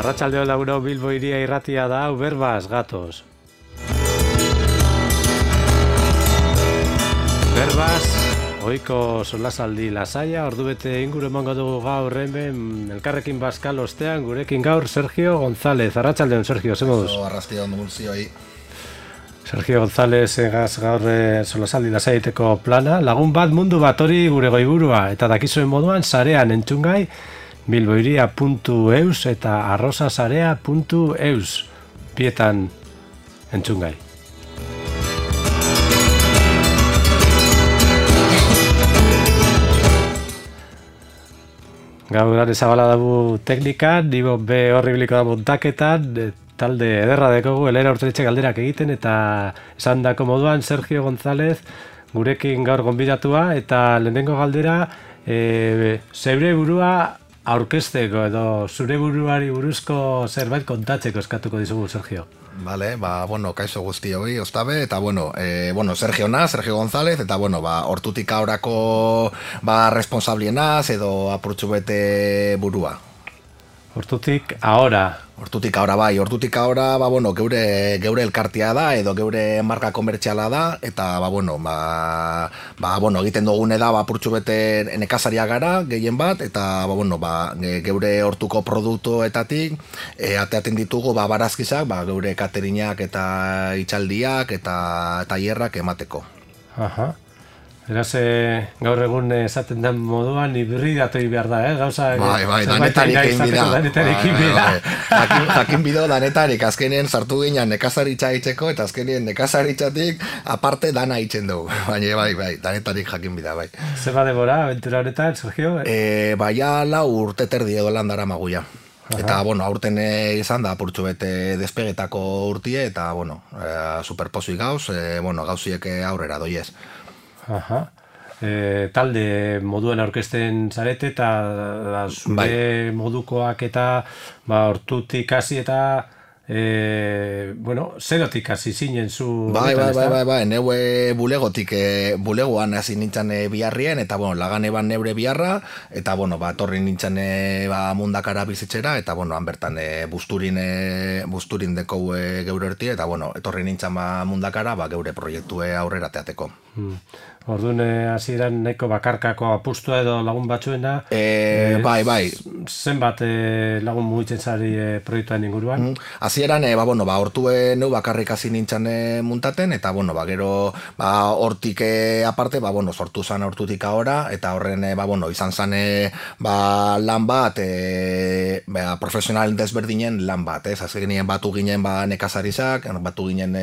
Arratsaldeo lauro Bilbo iria irratia da, berbaz gatoz. Berbaz, ohiko solasaldi lasaia, ordubete inguru emango dugu gaur hemen elkarrekin Baskal ostean, gurekin gaur Sergio González. Arratsaldeon, Sergio, ze moduz? Arratsaldeon guztioi. Sergio González egaz gaur solasaldi lasaieteko plana, lagun bat mundu bat hori gure goiburua, eta dakizuen moduan sarean entzungai, bilboiria.eus eta arrosasarea.eus bietan entzungai. Gaur zabala dabu teknika, nibo be horri biliko da montaketan, talde ederra dekogu, elera urteretxe galderak egiten, eta esan dako moduan Sergio González gurekin gaur gonbidatua, eta lehenengo galdera, zeure burua aurkezteko edo zure buruari buruzko zerbait kontatzeko eskatuko dizugu, Sergio. Vale, kaixo guztioi, ostabe, eta Sergio González, eta hortutik aurako responsablienaz edo apurtxu bete burua. Hortutik ahora. Hortutik ahora, geure elkartia da, edo geure marka komertziala da, eta, egiten dugune da, apurtxu bete nekazaria gara, gehien bat, eta, geure hortuko produktuetatik, ateaten ditugu, barazkizak, geure katerinak eta itxaldiak eta tailerrak emateko. Aha. Eraz, gaur egun esaten den moduan hibridatu behar da, gauza... Danetarik bida. Jakin bido danetarik, azkenien sartu ginen nekazaritza itxeko, eta azkenien nekazaritzatik aparte dana itzen dugu. Baina, danetarik jakin bida, bai. Zer badebora, aventura honetan, Sergio? Lau urte terdi edo landara maguia. Eta, aurten izan da, apurtxu bete despegetako urtie, eta, superpozui gauz, gauziek aurrera doiez. Aha. Talde moduen aurkezten zarete eta zure modukoak eta hortutik hasi eta zerotik hasi zinen zu... Neue bulegoan hasi nintzen biharrien, eta lagan eban neure biharra, eta torri nintzen mundakara bizitzera, eta han bertan busturin deko geure erti, eta etorri nintzen mundakara geure proiektue aurrera teateko. Orduan hasieran nahiko bakarkako apustua edo lagun batzuena. Bai. Zenbat lagun mugitzen zari proiektuan inguruan? Hasieran, hortue neu bakarrik hasi nintzen muntaten, eta gero hortik aparte, sortu zan hortutik ahora, eta horren izan zan lan bat, profesional desberdinen lan bat, azkenien batu ginen nekazarisak, batu ginen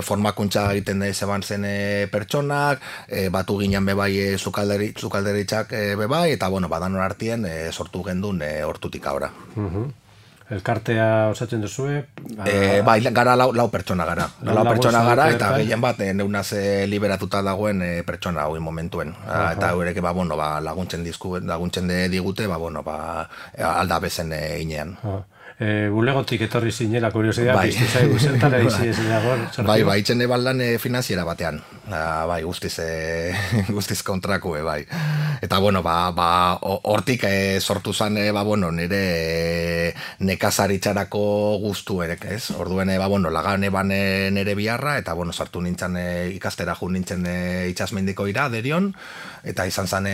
formakuntza egiten zeban zen pertsonak, batu ginen bebai zukalderitzak bebai, eta badanon artien sortu gendun hortutik ahora. Elkartea osatzen duzue? Gara lau pertsona gara. Lau pertsona gara, eta gehien bat neunaz liberatuta dagoen pertsona hau momentuen. Eta horrek laguntzen digute, aldabezen inean. Bulegotik etorri zinela, kuriosidea, biztu zaigu, zertara izi ez dago? Itzen ebaldan finanziera batean. Guztiz kontrakue, bai. Eta, hortik sortu zan, nire nekazaritzarako guztuerek, ez? Orduen, lagan eban nire biharra, eta, sartu nintzen ikastera jun nintzen itxasmendiko ira, derion, eta izan zan,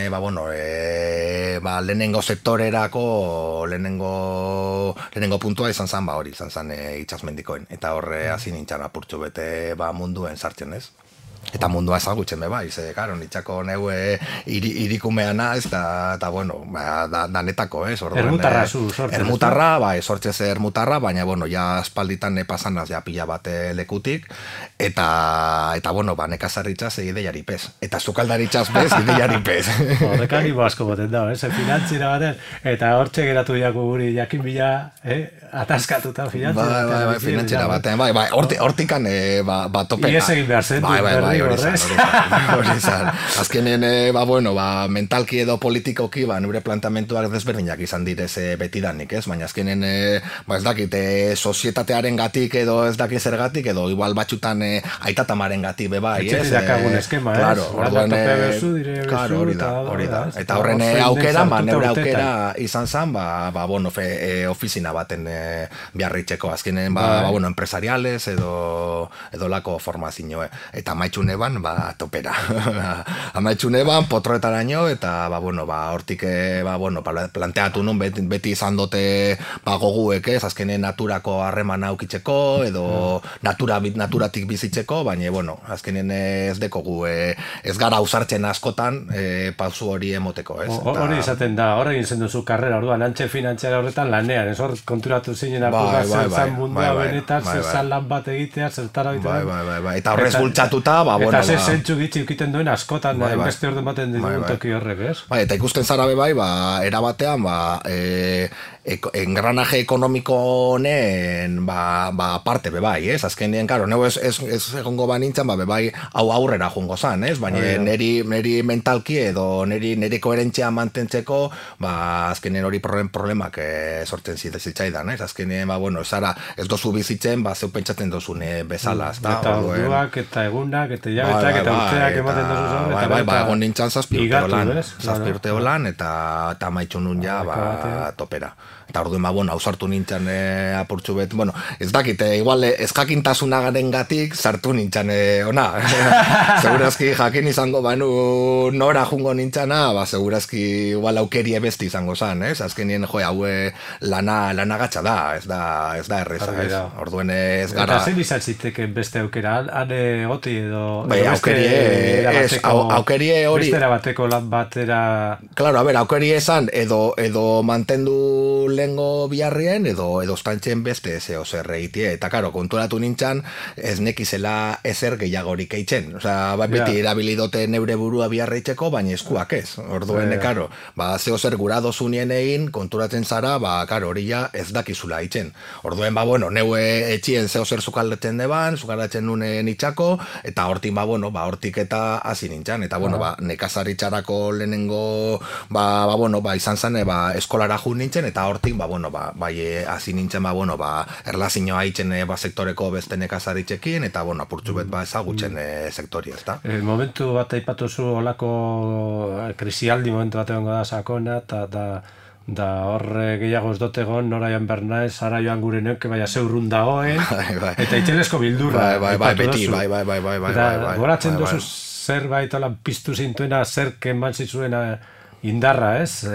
lehenengo sektorerako, lehenengo puntua izan zan, hori izan zan itxasmendikoen, eta horre hasi nintzen apurtxu bete munduen sartzen, ez? Eta mundua ezagutzen bai, karo, nitxako neue irikumeana, eta danetako, ez? Ermutarra zu, sortzez. Ermutarra, sortzez ermutarra, baina, ja espalditan pasanaz ja pila bat lekutik, eta nekazarritzaz ideiari pez. Eta zukaldaritzaz bez, ideiari pez. Horrekan ibo asko boten da, finantzira baten, eta hortxe geratu diako guri jakin bila, ataskatuta finantzira. Finantzira baten, hortikan topen. Iez egin behar zen. hori izan. Azkenen, mentalki edo politikoki, neure plantamentuak desberdinak izan direz betidanik, ez? Baina azkenen, ez dakit, sozietatearen gatik edo ez dakit zergatik, edo igual batxutan aitatamaren gatik bebai, ez? Etxetik eskema, ez? Claro, hori da. Eta horren aukera, neure aukera izan zen, ofizina baten biarritxeko, azkenen, empresariales edo lako formazioe. Eta amaitxune ban, topera. Amaitxune ban, potroetaraino, eta, hortik, planteatu nun, beti izan dote, goguek, ez, azkenen naturako harreman aukitzeko, edo naturatik bizitzeko, baina, azkenen ez dekogu, ez gara ausartzen askotan, pausu hori emoteko, ez. Hori izaten da, hori egin zen duzu karrera, orduan, antxe finantziara horretan lanean, ez hor konturatu zinen apurra zertzan mundua benetan, zertzan lan bat egitea, zertara egitea. Eta horrez bultzatuta, eta ze zentzu gitzi ukiten duen askotan, beste orden baten dituen toki horrek, ez? Eta ikusten zara bebai, erabatean, engranaje ekonomiko honen parte bebai, ez? Azkenean, karo, neu ez egongo banintzen, bebai hau aurrera jongo zan, ez? Baina neri mentalki edo neri koherentzia mantentzeko, azkenean hori problemak sortzen zitzaidan, ez? Azkenean, ez dozu bizitzen, zeu pentsatzen dozune bezala, ez da? Eta orduak, eta egunak, eta hilabetak, eta urteak ematen dozu zau, egon nintzen zazpi urte holan, eta maitxu nun ja, topera. Eta orduan, hausartu nintzen apurtxu bet, ez dakit, igual, ezkakintasunagaren gatik, sartu nintzen, ona. Segurazki jakin izango banu nora jungo nintzana, segurazki igual aukerie besti izango zan, ez? Azkenien, haue lana gatsa da, ez da erreza, ez? Orduan ez gara... Eta zen izan ziteken beste aukera, ane goti edo... Aukerie hori... Beste erabateko lan batera... Claro, aukerie esan, edo mantendu lengo biharrien, edo estantzen beste zeo zer egitie, eta karo, konturatu nintzen, ez nekizela ezer gehiagorik eitzen. Osea, beti erabilidote neure burua biharreitzeko, baina eskuak ez. Orduen, karo, zeo zer gura dozunien egin, konturatzen zara, karo, hori ja ez dakizula eitzen. Orduen, neue etxien zeo zer zukaldetzen deban, zukaldetzen nunen itxako, eta hortik, hortik eta hasi nintzen. Eta, nekazaritxarako lehenengo, izan zen, eskolara jun nintzen, eta hortik, hasi nintzen, erlazioa haitzen sektoreko beste nekazaritxekin, eta, apurtxu bet, ezagutzen sektori, ez da? Momentu bat aipatu zu olako krisialdi momentu bat egongo da sakona, da horre gehiago ez dote egon, nora joan bernaiz, ara joan gure neuke, zeurrun dagoen, eta itxenesko bildurra. Beti. Goratzen duzu zerbait olan piztu zintuena, zer keman zizuena indarra, ez?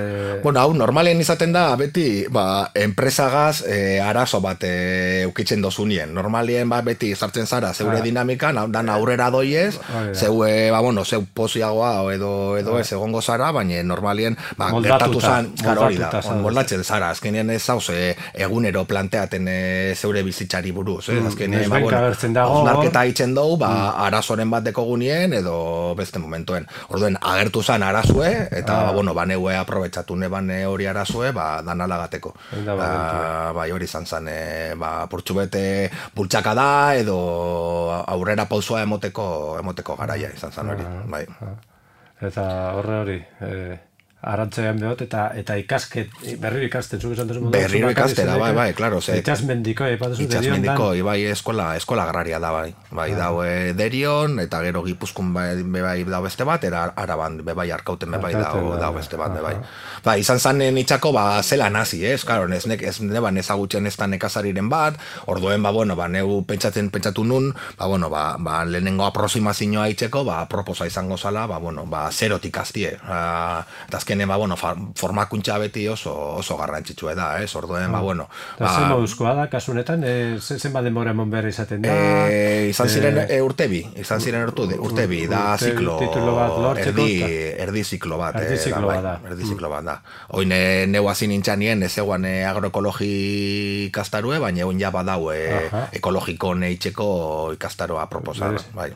Hau, normalen izaten da, beti, enpresagaz arazo bat eukitzen dozunien. Normalien, beti sartzen zara, zeure dinamikan, dan aurrera doiez, zeu poziagoa edo ez egongo zara, baina normalien, gertatu zan, hori da, moldatzen zara, azkenean ez zauz, egunero planteaten zeure bizitzari buruz, azkenean, osnarketa haitzen dugu, arazoren bat dekogunien, edo beste momentuen. Orduen, agertu zan arazue, eta, neue aprobetsatu neban hori arazue, danalagateko. Hori izan zen, purtsubete bultxaka da, edo aurrera pausua emoteko garaia izan zen hori. Eta hori, arantzean behot, eta berriro ikasten, zuk esan duzu. Berriro ikastera, klaro. Itxasmendiko, Itxasmendiko, eskola agraria da, dau Derion, eta gero Gipuzkoan bebai dau beste bat, Araban bebai Arkauten bebai dau beste bat, bebai. Izan zanen itxako, zela nazi, ez neban ezagutzen ez da nekazariren bat, orduen, neu pentsatu nun, lehenengo aproximazioa itxeko, proposa izango zala, zerotik aztie, eta azkenen, formakuntza beti oso garrantzitsua da, ez? Orduen, zen moduzkoa da, kasunetan, zen denbora emon behar izaten da? Izan ziren urtebi, da ziklo, erdi ziklo bat. Erdi ziklo bat da. Oin, neu hasi nintxanien, ez eguan agroekologi ikastarue, baina egun ja badau ekologiko neitxeko ikastaroa proposan, bai.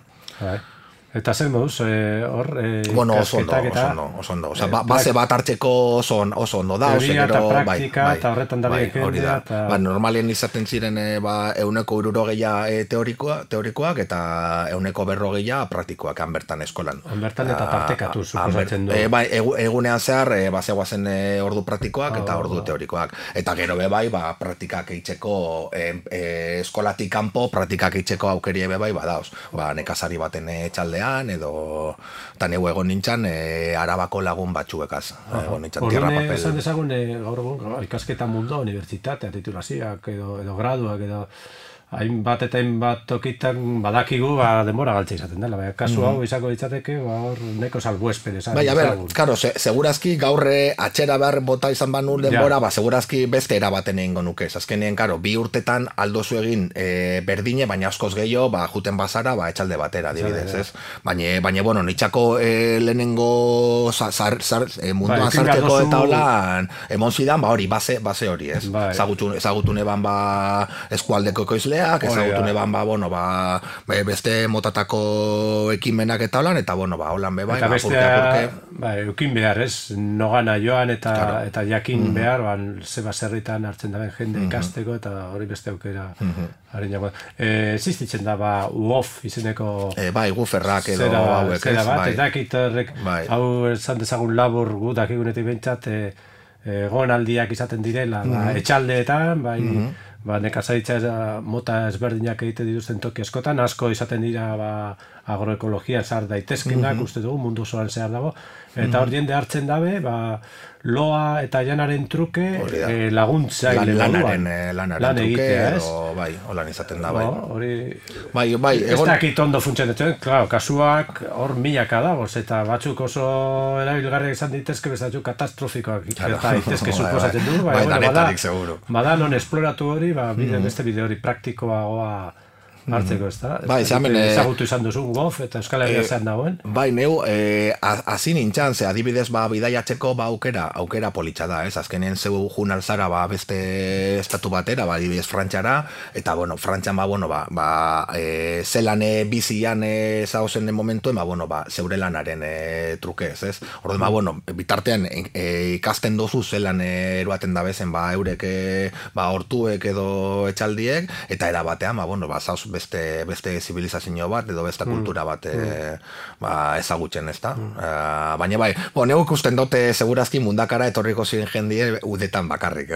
Eta zer moduz, hor, bueno, oso ikasketak ondo. Osea, base bat hartzeko oso ondo da, teoria eta praktika, eta horretan da jendea. Normalien izaten ziren 160 teorikoak eta 140 praktikoak bertan eskolan. Bertan eta partekatu, suposatzen du. Egunean zehar, zegoazen ordu praktikoak eta ordu teorikoak. Eta gero praktikak eitzeko, eskolatik kanpo praktikak eitzeko aukerie badauz. Nekazari baten etxaldean, edo eta neu egon nintzen Arabako lagun batzuekaz. Egon nintzen tierra papel. Esan dezagun, gaur egun, ikasketa mundu, unibertsitatea, titulazioak, edo graduak, edo hainbat eta hainbat tokitan badakigu denbora galtza izaten dela. Kasu hau izango ditzateke, hor neko salbuespen esan. A ber, claro, segurazki gaurre atxera behar bota izan banu denbora, segurazki beste erabaten egingo nuke. Azkenean, claro, 2 urtetan aldozu egin berdine, baina askoz gehiago, juten bazara, etxalde batera, adibidez, ez? Baina, bueno, nitxako lehenengo munduan sartzeko eta holan, emon zidan, hori, base hori, ez? Ezagutu neban eskualdeko ekoizle, ezagutu neban, beste motatako ekimenak eta holan, eta holan bebai, eta bestea, eukin behar, ez? Nogana joan eta jakin behar, ze baserritan hartzen daben jende ikasteko, eta hori beste aukera. Existitzen da, UOF izeneko... guferrak edo hauek, ez? Eta dakit horrek, hau esan dezagun labur gu dakigunetik behintzat, gonaldiak izaten direla, etxaldeetan, nekazaritza mota ezberdinak egite dituzten toki askotan, asko izaten dira agroekologia zar daitezkenak, uste dugu, mundu osoan zehar dago, eta hor jende hartzen dabe, loa eta janaren truke laguntzaile moduan. Lanaren truke, edo, holan izaten da, ez dakit ondo funtzionatzen, kasuak hor milaka dagoz, eta batzuk oso erabilgarriak izan ditezke, bezatzuk katastrofikoak gerta daitezke suposatzen du, bada non esploratu hori, beste bide hori praktikoagoa hartzeko, ez da? Ezagutu izan duzun GOF eta Euskal Herria zean dagoen? Neu, hasi nintzen, adibidez bidaiatzeko aukera politxa da, ez? Azkenean zeu jun alzara beste estatu batera, adibidez Frantxara, eta, Frantxan, zelan bizian zauzen den momentuen, zeure lanaren trukez, ez? Orduan, bitartean ikasten dozu zelan eruaten da bezen, eurek hortuek edo etxaldiek, eta erabatean, zauz beste zibilizazio bat edo beste kultura bat ezagutzen, ez da? Baina neu ikusten dute segurazki mundakara etorriko ziren jendie udetan bakarrik.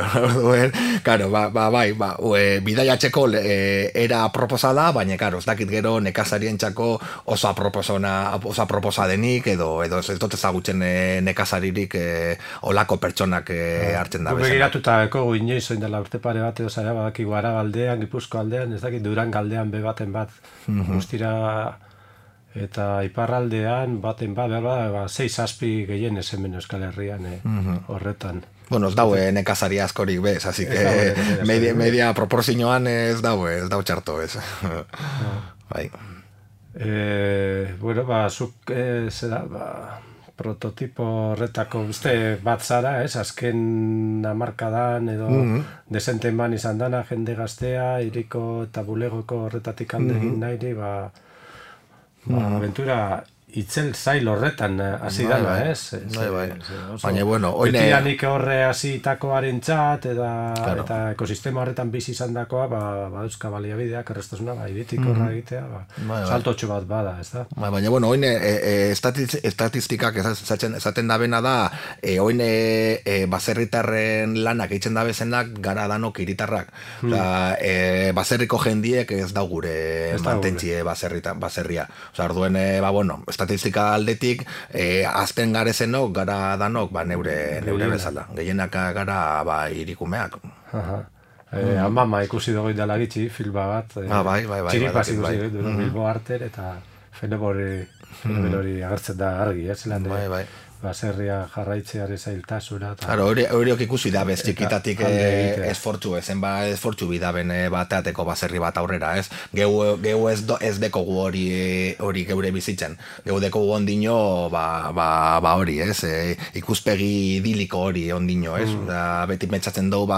Karo, bidaiatzeko era aproposa da, baina, karo, ez dakit gero nekazarien txako oso aproposa denik, edo ez dut ezagutzen nekazaririk olako pertsonak hartzen da. Begiratuta ekogu inoiz oin dela urte pare bat edo zaila badakigu Arabaldean, Gipuzko aldean, ez dakit Durangaldean baten bat guztira eta iparraldean baten bat 6-7 gehien ez hemen Euskal Herrian horretan. Ez daue nekazari askorik bez, así que media proporzioan ez daue txarto ez. Zuk prototipo horretako uste bat zara, azken hamarkadan edo desenten ban izan dana, jende gaztea, hiriko eta bulegoko horretatik alde egin nahi, aventura itzel zail horretan hasi dala, ez? Baina, betidanik horre hasitakoaren txat, eta ekosistema horretan bizi izan dakoa, dauzka baliabideak, errestasuna, iritik horra egitea, saltotxo bat bada, ez da? Baina, oin estatistikak esaten da bena da, oin baserritarren lanak eitzen da bezenak gara danok iritarrak. Baserriko jendiek ez da gure mantentzie baserria. Orduen, estatistika aldetik, azten garezenok, gara danok, neure bezala. Gehienak gara irikumeak. Mama ikusi dugu indala gitxi, filma bat. Txiripaz ikusi dugu, Bilbo Arter, eta fenomen hori agertzen da argi, zelan. baserria jarraitzearen zailtasuna. Claro, horiok ikusi da bez txikitatik esfortzu, esfortzu bidaben bateateko baserri bat aurrera, ez? Geu ez dekogu hori geure bizitzen. Geu dekogu ondino, hori, ez? Ikuspegi idiliko hori ondino, ez? Beti pentsatzen dugu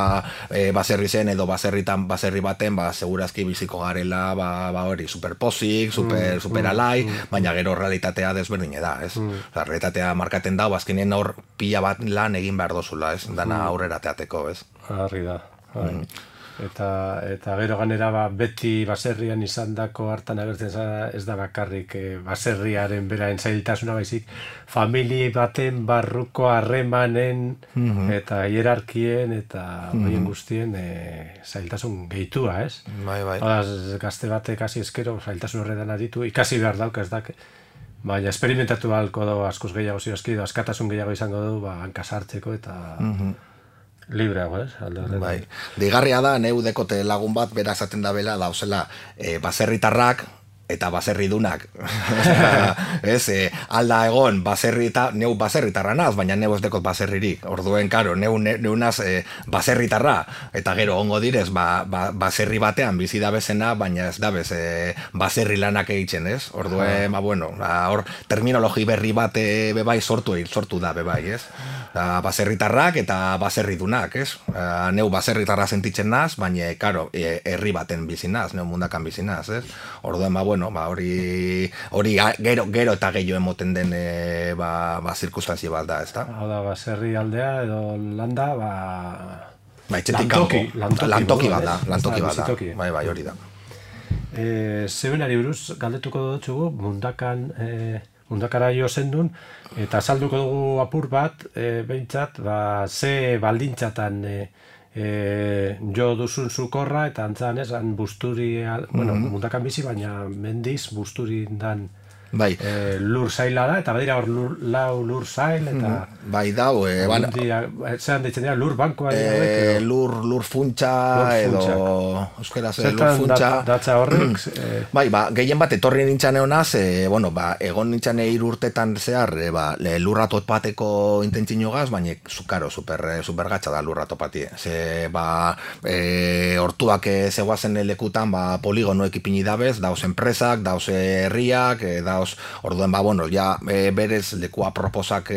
baserri zen edo baserri baten, segurazki biziko garela, hori, superpozik, super alai, baina gero realitatea desberdine da, ez? Realitatea markaten da, azkenean hor pila bat lan egin behar dozula, ez? Dana aurrera teateko, ez? Harri da. Eta gero ganera beti baserrian izandako hartan agertzen ez da bakarrik baserriaren beraen zailtasuna baizik, familie baten barruko harremanen eta hierarkien eta horien guztien zailtasun gehitua, ez? Bai. Gazte batek hasi eskero zailtasun horretan aditu, ikasi behar dauk ez dak, baina esperimentatu balko du askoz gehiago ziozki, askatasun gehiago izango du hankasartzeko eta libreago, ez? Bai. Digarria da, neu dekote lagun bat bera esaten da bela, dauzela baserritarrak eta baserridunak. Ez, alda egon neu baserritarra naz, baina neu ez dekot baserririk. Orduen, karo, neu naz baserritarra, eta gero ongo direz, baserri batean bizi da bezena, baina ez da bez baserri lanak egiten, ez? Orduen, hor terminologi berri bat bebai sortu da bebai, ez? Baserritarrak eta baserridunak, ez? Neu baserritarra sentitzen naz, baina, karo, herri baten bizi naz, neu mundakan bizi naz, ez? Orduen, hori gero eta gehiago emoten den zirkustantzia bat da, ez da? Hau da, baserri aldea edo landa, etxetik kanpo, lantoki bat da, bai, hori da. Zebenari buruz, galdetuko dutxugu, mundakara jo zendun, eta salduko dugu apur bat, behintzat, ze baldintzatan jo duzun zukorra, eta antzan esan busturi, mundakan bizi, baina mendiz busturin dan lur zaila da, eta badira hor lur zail, eta bai dau, zean ditzen dira, lur bankoa lur funtsa edo euskera lur funtsa datza horrek bai, gehien bat etorri nintzen egonaz, egon nintzen 3 urtetan zehar lurra topateko intentzio gaz, baina zukaro, super gatsa da lurra topati, ze hortuak zegoazen lekutan poligonoek ipini dabez, dauz enpresak, dauz herriak, dauz orduen, berez lekua proposak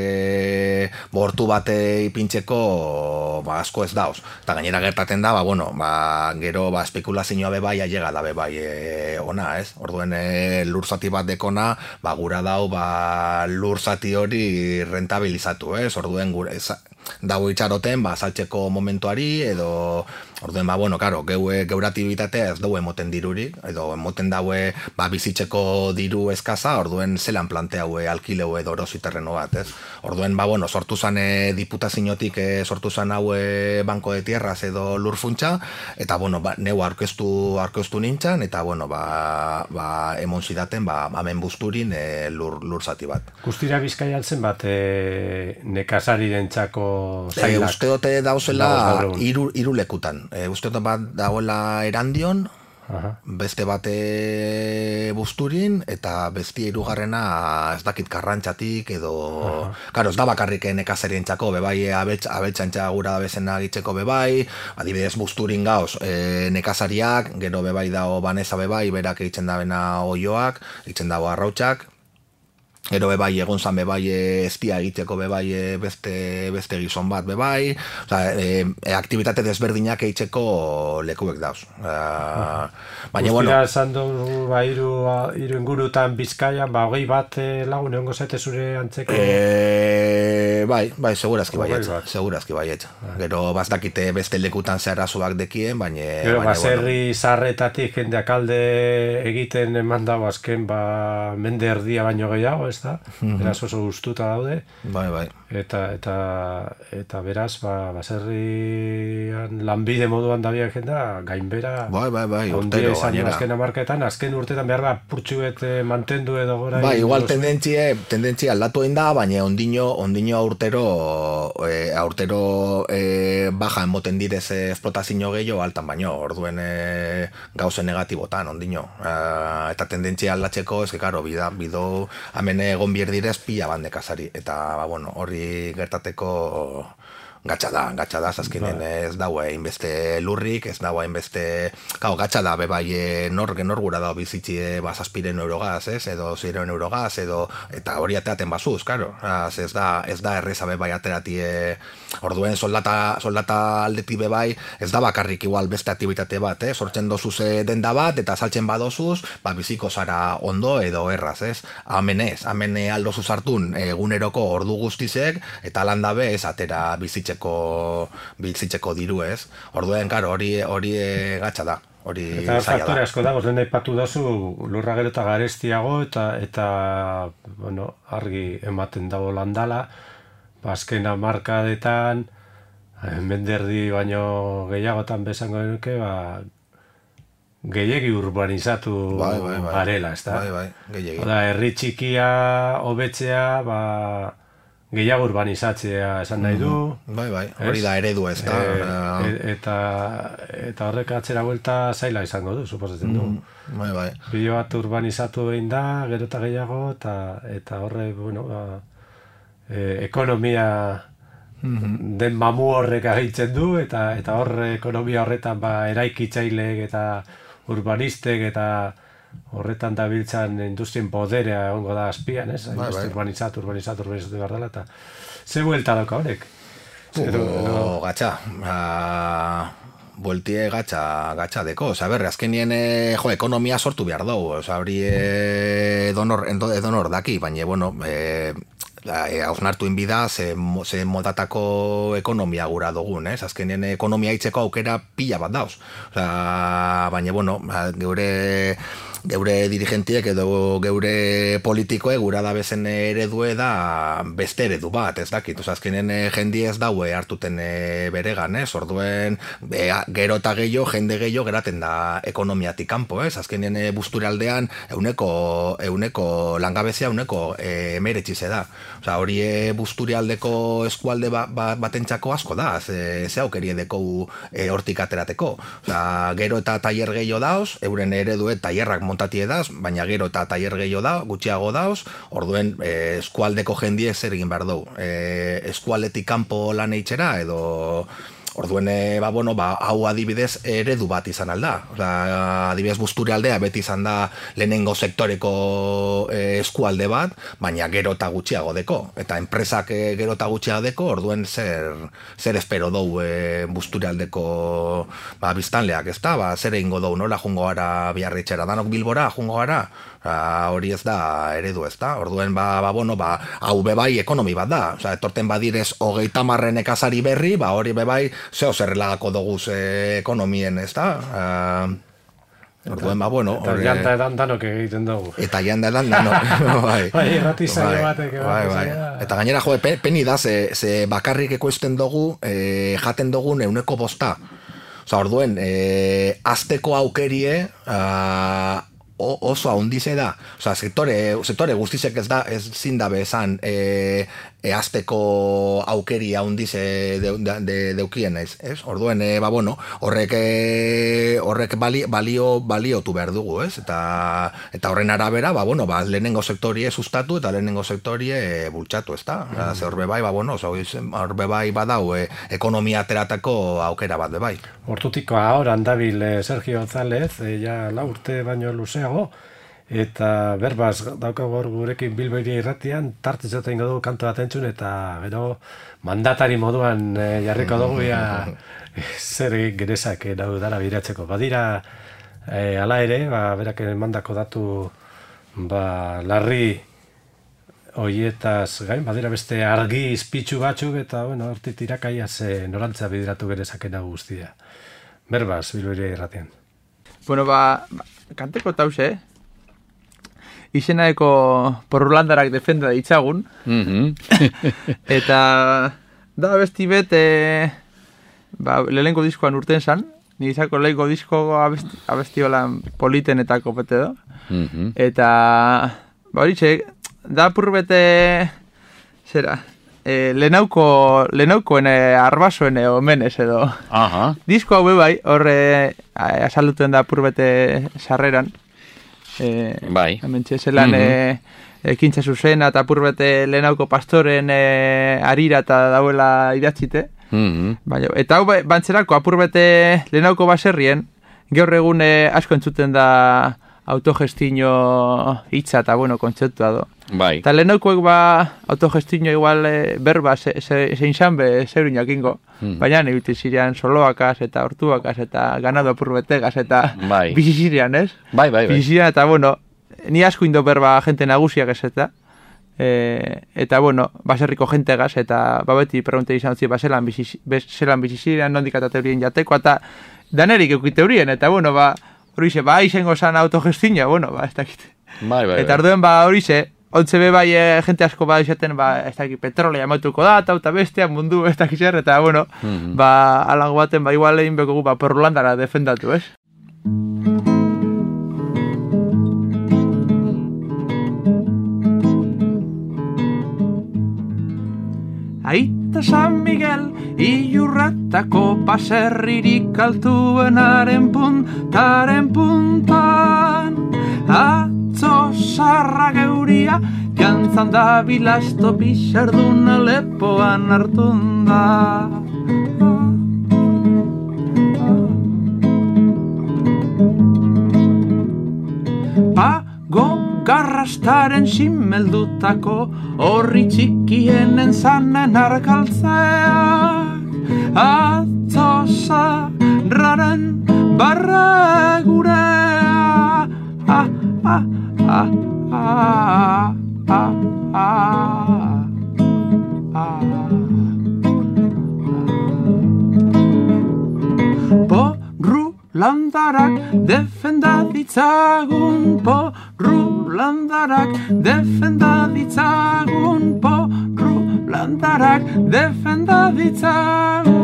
bortu bate ipintzeko asko ez dauz. Eta gainera gertaten da, gero espekulazioa bebai ailega da bebai ona, ez? Orduen lur zati bat dekona, gura dau lur zati hori rentabilizatu, ez? Orduen dago itxaroten, saltzeko momentuari, edo orduen, geuratibitatea ez dugu emoten dirurik, edo emoten daue bizitzeko diru eskaza, orduen zelan planteaue alkileu edo erosi terreno bat, ez? Orduen, sortu zan diputaziotik sortu zan haue banko de tierras edo lur funtsa, eta, neu aurkeztu nintzen, eta, emon zidaten, hemen busturin lur zati bat. Guztira Bizkaian zen bat nekazari dentzako zailak? Uste dote dauzela 3 lekutan. Uste dote bat dagoela Erandion, beste bate busturin, eta beste 3. ez dakit Karrantxatik, edo... Karo, ez da bakarrik nekazarientzako, bebai abeltxantxa gura da bezena gitzeko bebai, adibidez busturin gauz nekazariak, gero bebai dao baneza bebai, berak egiten da bena oioak, egiten dago arrautxak, gero bebai egon zan bebai estia egiteko bebai beste gizon bat bebai, aktibitate desberdinak egiteko lekuek dauz. Guztira esan dugu hiru ingurutan Bizkaian, 20 bat lagun egongo zaite zure antzeko? Bai, segurazki baiet. Gero bazdakite beste lekutan zeharazuak dekien, baina... Gero baserri zarretatik jendeak alde egiten eman dago azken mende erdia baino gehiago, ez da? Beraz oso gustuta daude. Bai. Eta beraz, baserrian lanbide moduan dabiak jendea, gainbera... Bai, urtero gainera. Azken urtetan behar da purtsuet mantendu edo gora... Bai, igual tendentzia aldatu egin da, baina ondino aurtero baja emoten direz esplotazio gehiago altan baino, orduen gauze negatibotan, ondino. Eta tendentzia aldatzeko, karo, bido, hemen egon bierdirez pila bandekazari, eta, bueno, hori gertateko gatsa da, azkenean ez dago hainbeste lurrik, ez dago hainbeste, gatsa da, bebai, nor gura dago bizitzi zazpiren eurogaz, edo 0 eurogaz, eta hori ateaten bazuz, karo, ez da erreza bebai aterati, orduen soldata aldeti bebai, ez da bakarrik igual beste aktibitate bat, sortzen dozuz denda bat, eta saltzen badozuz, biziko zara ondo edo erraz, hemen aldozuz hartun eguneroko ordu guztizek, eta landabe ez atera bizitzeko diru, ez? Orduen, karo, hori gatsa da. Eta faktore asko dago, den aipatu dazu lurra gero eta garestiago eta bueno, argi ematen dago landala, azken hamarkadetan, menderdi baino gehiagotan bezango genuke, gehiegi urbanizatu garela, ez da? Bai, gehiegi. Herri txikia, hobetzea, gehiago urbanizatzea esan nahi du. Bai, hori da eredu, ez da. Eta horrek atzera buelta zaila izango du, suposatzen du. Bai. Bilo bat urbanizatu egin da, gero eta gehiago, eta horre, bueno, ekonomia den mamu horrek agitzen du, eta horre ekonomia horretan eraikitzaileek eta urbanistek eta horretan dabiltzan industrien poderea egongo da azpian, ez? Urbanizatu behar dela, eta ze buelta dauka horrek? Gatsa, bueltie gatsa deko, azkenien ekonomia sortu behar dugu, hori edonor daki, baina, bueno, hausnartu inbida ze modatako ekonomia gura dugun, azkenien ekonomia hitzeko aukera pila bat dauz, baina, bueno, geure dirigentiek edo geure politikoe gura da bezen eredue da beste eredu bat, ez dakit, azkenen jendi ez daue hartuten beregan, orduen gero eta gehiago, jende gehiago geraten da ekonomiatik kanpo, azkenen busturaldean euneko langabezia euneko emeretxize da, hori busturialdeko eskualde batentzako asko da, ze aukeri edeko hortik aterateko, gero eta tailer gehiago dauz, euren eredue tailerrak montati edaz, baina gero eta tailer gehiago da, gutxiago dauz, orduen eskualdeko jendiek zer egin behar dugu. Eskualdetik kanpo lan eitxera, edo orduen, hau adibidez eredu bat izan alda. Adibidez Busturialdea beti izan da lehenengo sektoreko eskualde bat, baina gero eta gutxiago deko. Eta enpresak gero eta gutxiago deko, orduen zer espero dugu Busturialdeko biztanleak, ez da? Zer egingo dugu, nola jungo gara Biarritxera, danok Bilbora jungo gara? Hori ez da eredu, ez da? Orduen, hau bebai ekonomi bat da. Etorten badirez 30 nekazari berri, hori bebai zeo zerrelagako doguz ekonomien, ez da? Orduen, eta janta edan danok egiten dugu. Eta janta edan danok. Irrati zailo batek. Eta gainera, peni da, ze bakarrik ekoizten dugu, jaten dugun 5%. Orduen, azteko aukerie, oso haundize da, sektore guztizek ez zindabe esan azteko aukeri haundize deukien ez? Orduen, horrek baliotu behar dugu, ez? Eta horren arabera, lehenengo sektorie sustatu eta lehenengo sektorie bultxatu, ez da? Horbe bai badau ekonomia ateratako aukera bat bebai. Hortutik ahoran dabil Sergio González, ja 4 urte baino luzeago, eta berbaz daukago gurekin Bilbairia irratian, tartez eta ingo dugu kanto bat entzun, eta gero mandatari moduan jarriko dugu zer egin genezak dara biratzeko. Badira, ala ere, berak mandako datu larri hoietaz gain, badira beste argi izpitzu batzuk, eta hortik tirakaiaz norantza bideratu genezakena guztia. Berbaz, Bilbairia irratian. Bueno, kanteko tauze, izenaeko porrulandarak defenda ditzagun. Eta da besti bet, lehenko diskoan urten zan, nizako lehenko disko abesti holan politen eta kopete do. Eta, horitxe, da purbete, zera, lehenaukoen arbasoen omenez edo. Disko hau bai, horre azalduten da purbete sarreran. Hemen txezelan ekintza zuzena eta apurbete lehenauko pastoren arira eta dauela idatzite. Eta hau bantzerako apurbete lehenauko baserrien, gaur egun asko entzuten da autogestino hitza eta kontzeptua do. Bai. Eta lehenaukoek autogestino igual berba zein xanbe zeurin jakingo. Baina nebiti zirean soloakaz eta hortuakaz eta ganado apurbetegaz eta bizizirian, ez? Bai. Bizizirian eta ni asko indo berba jente nagusiak ez eta. Eta baserriko jentegaz eta beti pregunte izan zi zelan bizizirian nondik eta teorien jateko eta danerik eukit teorien eta horixe, izango zan autogestinoa, ez dakit. Bai. Eta arduen horixe, ontze bai jente asko izaten, ez dakit, petrolea amatuko da, eta bestea mundu, ez dakit zer, eta alango baten, igual egin beko gu, Porrulandara defendatu, ez? Aita San Miguel, Ilurratako baserririk altuenaren puntan, atzo sarra geuria, jantzan da bilasto pixarduna lepoan hartun da. Garrastaren simeldutako horri txikienen zanen argaltzeak atzo zarraren barra gurea Landarak defenda ditzagun Landarak defenda ditzagun Landarak defenda ditzagun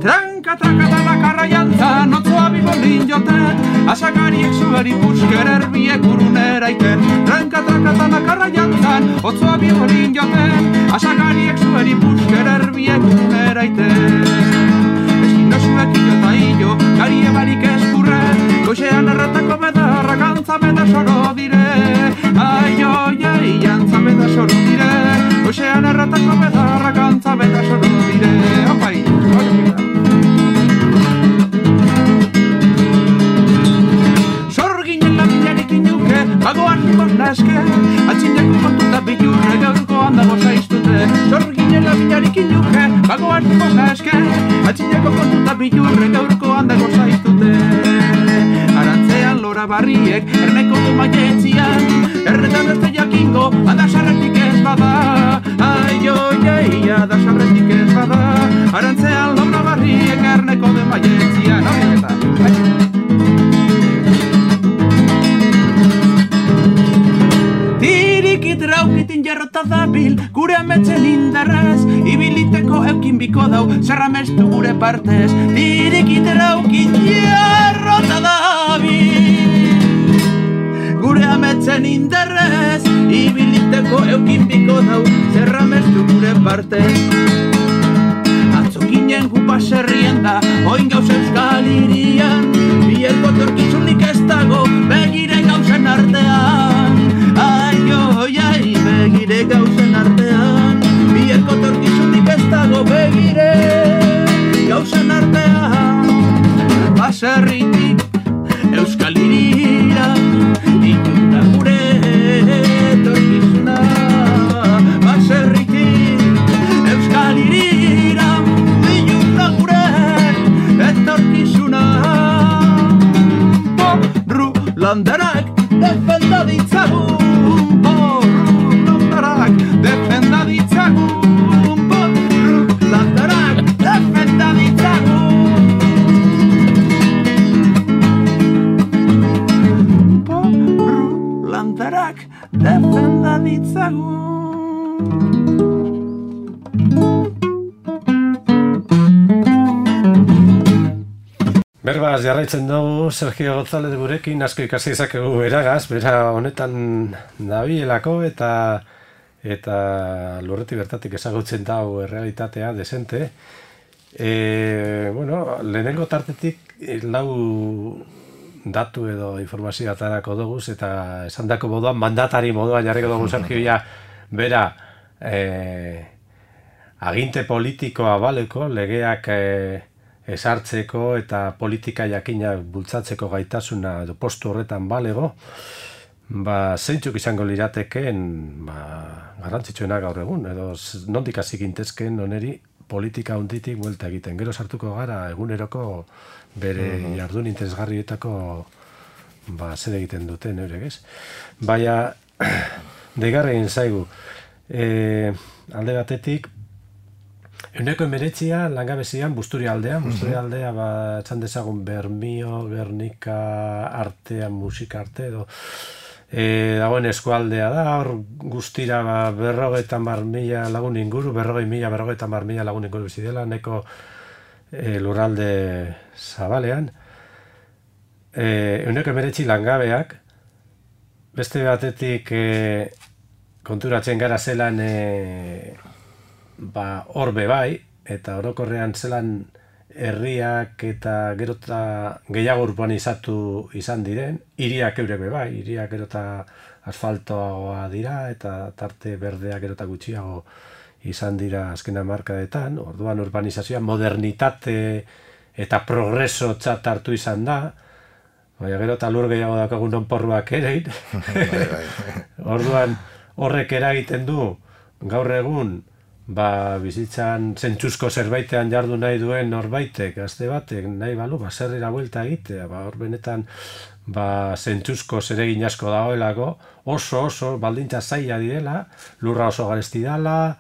Tranka da bakarra jantzan otzoa bibolin joten Asakariek zuari pusker erbiek urunera iten Tranka da bakarra jantzan otzoa bibolin joten Asakariek zuari pusker erbiek urunera iten Zuek ilo eta ilo, gari ebarik eskurre Goxean erratako bedarra gantza beda soro dire Ai, jantza beda soro dire Goxean erratako bedarra gantza beda soro dire Opai, Sorginen laminarik inuke, bagoan nibon naske Atxineko kontuta bilurre gaurko handago zaiztute Sorginen laminarik inuke, bagoan nibon naske Atxineko kontuta bilurre gaurko handago zaiztute Arantzean lora barriek, erneko du maietzian Erretan ez jakingo, adasarretik ez bada Ai, adasarretik ez bada Arantzean lora barriek, erneko du maietzian Traukitin jarrota dabil, gure ametzen indarraz Ibiliteko eukin biko dau, zerramestu gure partez Tirikit traukin jarrota dabil Gure ametzen indarraz Ibiliteko eukin biko dau, zerramestu gure partez Atzokinen gu baserrien da, oin gauz euskal irian Bielko torkizunik ez dago, begire gauzen artean begire gauzen artean Bielko torkizunik ez dago begire gauzen artean Baserritik euskal irira Iluna gure torkizuna Baserritik euskal irira Iluna gure etorkizuna Porrulandarak defenda ditzagun Defenda ditzagun Porrulandarak defenda ditzagun Porrulandarak defenda ditzagun Berbaz, jarraitzen dugu Sergio González gurekin asko ikasi izakegu eragaz, bera honetan dabielako eta lurretik bertatik ezagutzen dau errealitatea desente. Bueno, lehenengo tartetik lau datu edo informazioa atarako doguz, eta esandako moduan, mandatari moduan jarriko dugu Sergio bera aginte politikoa baleko, legeak esartzeko eta politika jakina bultzatzeko gaitasuna edo postu horretan balego, zeintzuk izango lirateken garrantzitsuena gaur egun, edo nondik hasi gintezken oneri politika hunditik buelta egiten. Gero sartuko gara eguneroko bere jardun interesgarrietako zer egiten duten eurek, ez? Baina, deigarren zaigu, alde batetik, 19 langabezian Busturia aldea txan dezagun Bermio, Gernika artean, musika arte edo dagoen eskualdea da, hor guztira 50.000 lagun inguru, 50.000 lagun inguru bizi dela, neko lurralde zabalean. 19 langabeak, beste batetik konturatzen gara zelan horbe bai, eta orokorrean zelan herriak eta gerota gehiago urbanizatu izan diren, hiriak eurek bai, hiriak gerota asfaltoagoa dira, eta tarte berdeak gerota gutxiago izan dira azken hamarkadetan, orduan urbanizazioa modernitate eta progreso txat hartu izan da, baina gero eta lur gehiago dakagun onporruak ere, orduan horrek eragiten du gaur egun bizitzan zentzuzko zerbaitean jardu nahi duen norbaitek, gazte batek, nahi balu, zerrera buelta egitea, hor benetan zentzuzko zeregin asko dagoelako, oso baldintza zaila direla, lurra oso garesti dala,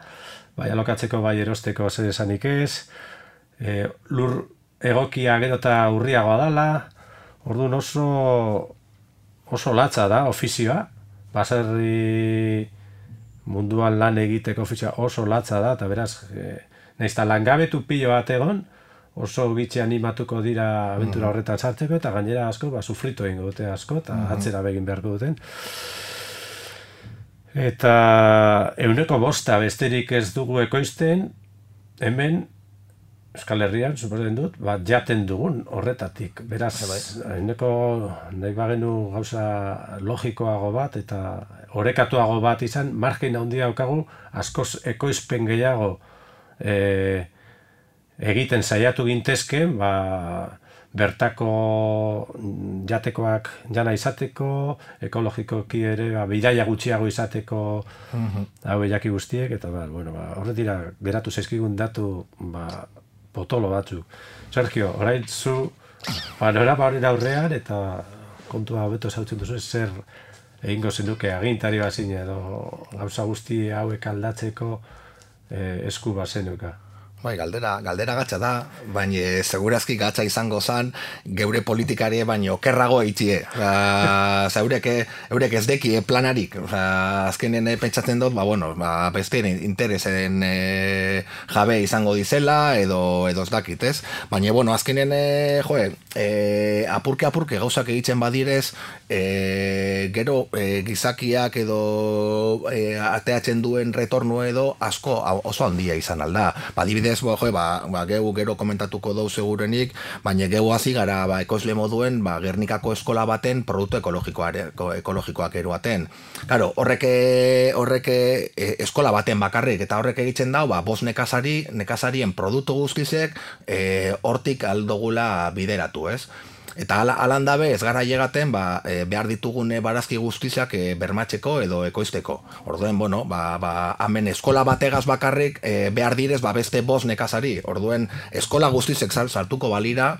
bai alokatzeko bai erosteko zer esanik ez, lur egokia gero eta urriagoa dala, orduan oso latza da ofizioa, baserri munduan lan egiteko ofizioa oso latza da, eta beraz, nahiz eta langabetu pilo bat egon, oso gitxe animatuko dira abentura horretan sartzeko, eta gainera asko, sufritu egingo dute asko, eta atzera begin beharko duten. Eta 5% besterik ez dugu ekoizten, hemen, Euskal Herrian, suposatzen dut, jaten dugun horretatik. Beraz, nahi bagenu gauza logikoago bat, eta orekatuago bat izan, margin handia daukagu, askoz ekoizpen gehiago egiten saiatu gintezken, bertako jatekoak jana izateko, ekologikoki ere, bidaia gutxiago izateko hau jaki guztiek, eta horretira geratu zaizkigun datu potolo batzuk. Sergio, orain zu panorama horren aurrean eta kontua hobeto zautzen duzu zer egingo zenuke agintari bazine edo gauza guzti hauek aldatzeko esku bazenuka. Bai, galdera gatza da, baina segurazki gatza izango zan, geure politikari baina okerrago eitzie. Eurek ez deki planarik. Azkenen pentsatzen dut, beste interesen jabe izango dizela, edo ez dakit, ez? Baina, azkenen, apurke gauzak egiten badirez, gero gizakiak edo ateatzen duen retorno edo asko oso handia izan alda. Adibidez, geu gero komentatuko dau segurenik, baina geu hasi gara ekoizle moduen Gernikako eskola baten produktu ekologikoak eroaten. Claro, horrek eskola baten bakarrik, eta horrek egiten dau, 5 nekazarien produktu guztizek hortik aldogula bideratu, ez? Eta alan dabe ez gara llegaten behar ditugun barazki guztizak bermatzeko edo ekoizteko. Orduen, hemen eskola bategaz bakarrik behar direz beste 5 nekazari. Orduen, eskola guztizek sartuko balira,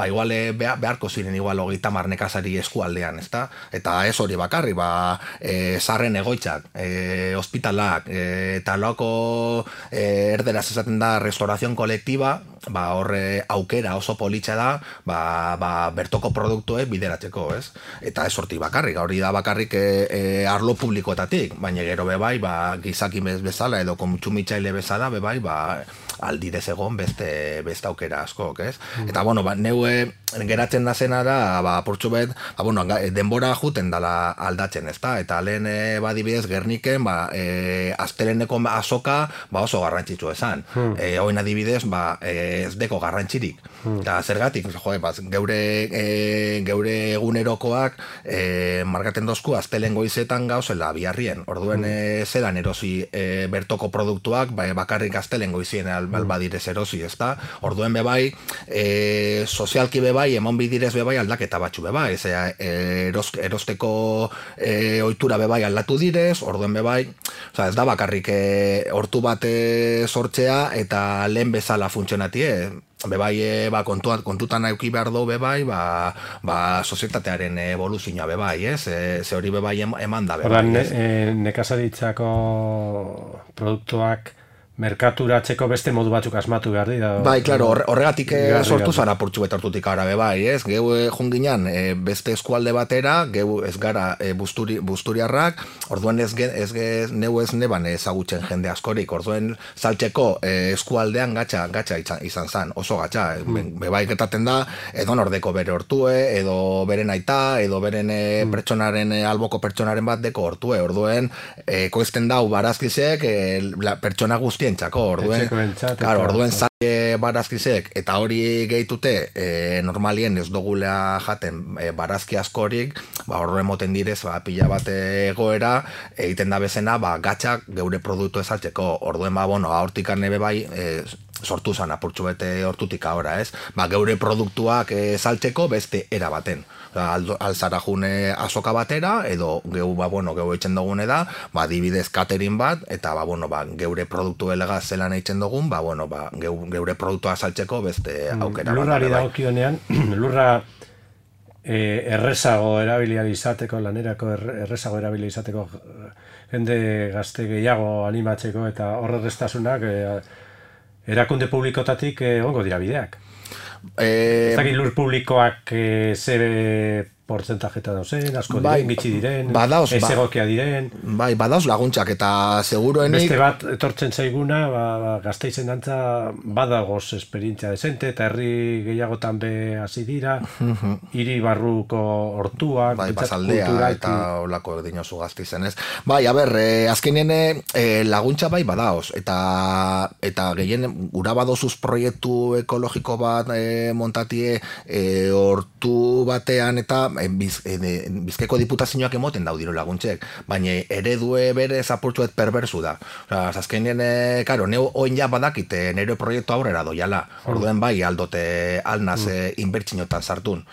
igual beharko ziren igual 30 nekazari eskualdean, ezta? Eta ez hori bakarri, zarren egoitzak, ospitalak, eta loko erderaz esaten da restaurazion kolektiba, horre aukera oso politxa da, bertoko produktuek bideratzeko, ez? Eta ez hortik bakarrik, hori da bakarrik arlo publikoetatik, baina gero bebai, gizaki bezala edo kontsumitzaile bezala, bebai, aldidez egon beste aukera askok, ez? Eta, bueno, neue geratzen da zena da, apurtxu bet, denbora juten dala aldatzen, ez da? Eta lehen badibidez Gerniken, azteleneko azoka oso garrantzitsu esan. Hoen adibidez, ez deko garrantzirik. Eta zergatik, geure egunerokoak markaten dozku aztelen goizetan gauzela biharrien. Orduen zelan erosi bertoko produktuak, bakarrik aztelen goizien albadirez erosi, ez da? Orduen bebai, sozialki bebai, emon bidirez bebai aldaketa batzu bebai. Erosteko ohitura bebai aldatu direz, orduen bebai, ez da bakarrik hortu bat sortzea eta lehen bezala funtzionatie. Bebai, kontutan auki behar du bebai, sozietatearen evoluzioa bebai, ez? Ze hori bebai eman da bebai. Nekazaritzako produktuak merkaturatzeko beste modu batzuk asmatu behar dira. Bai, klaro, horregatik sortu zara portxu betortutik ara bebai, ez? Geu junginan beste eskualde batera, geu ez gara busturiarrak, orduen neu ez neban ezagutzen jende askorik, orduen saltzeko eskualdean gatxa izan zan, oso gatxa. Bebai getaten da, edo nordeko bere hortue, edo beren aita, edo beren pertsonaren, alboko pertsonaren bat deko hortue, orduen koizten dau barazkizek pertsona guzti orduen zaila barazkizek eta hori gehitute normalien ez dugulea jaten barazki askorik, horre moten direz pila bat egoera egiten da bezena gatxak geure produktu ezaltzeko, orduen hortikan nebe bai sortu zan apurtxu bete hortutik ahora, ez? Geure produktuak saltzeko beste era baten. Alzara june azoka batera, edo geu eitzen dugune da, dibidez catering bat, eta geure produktu elegaz zelan eitzen dugun, geure produktua saltzeko beste aukera bat. Lurrari dagokionean, lurra errezago erabilia izateko, lanerako errezago erabilia izateko jende gazte gehiago animatzeko, eta horre restasunak erakunde publikotatik ongo dira bideak. Ez dakit lur publikoak ze portzentajeta dauzen, asko diren, gitxi diren, ez egokia diren. Bai, badauz laguntzak eta seguruenik... Beste bat etortzen zaiguna, Gasteizen dantza badagoz esperientzia desente, eta herri gehiagotan be hasi dira, hiri barruko hortuak, basaldea eta olako dinosu Gasteizen ez. Bai, azkenien laguntza bai badaoz, eta gehien gura badozuz proiektu ekologiko bat montatie hortu batean eta Bizkaiko diputazioak emoten daudiro laguntzek, baina eredue bere zapurtzuet perbersu da. Azkenien, neu oin ja badakite nire proiektu aurrera doiala. Orduen bai aldote alnaz inbertsinotan sartun.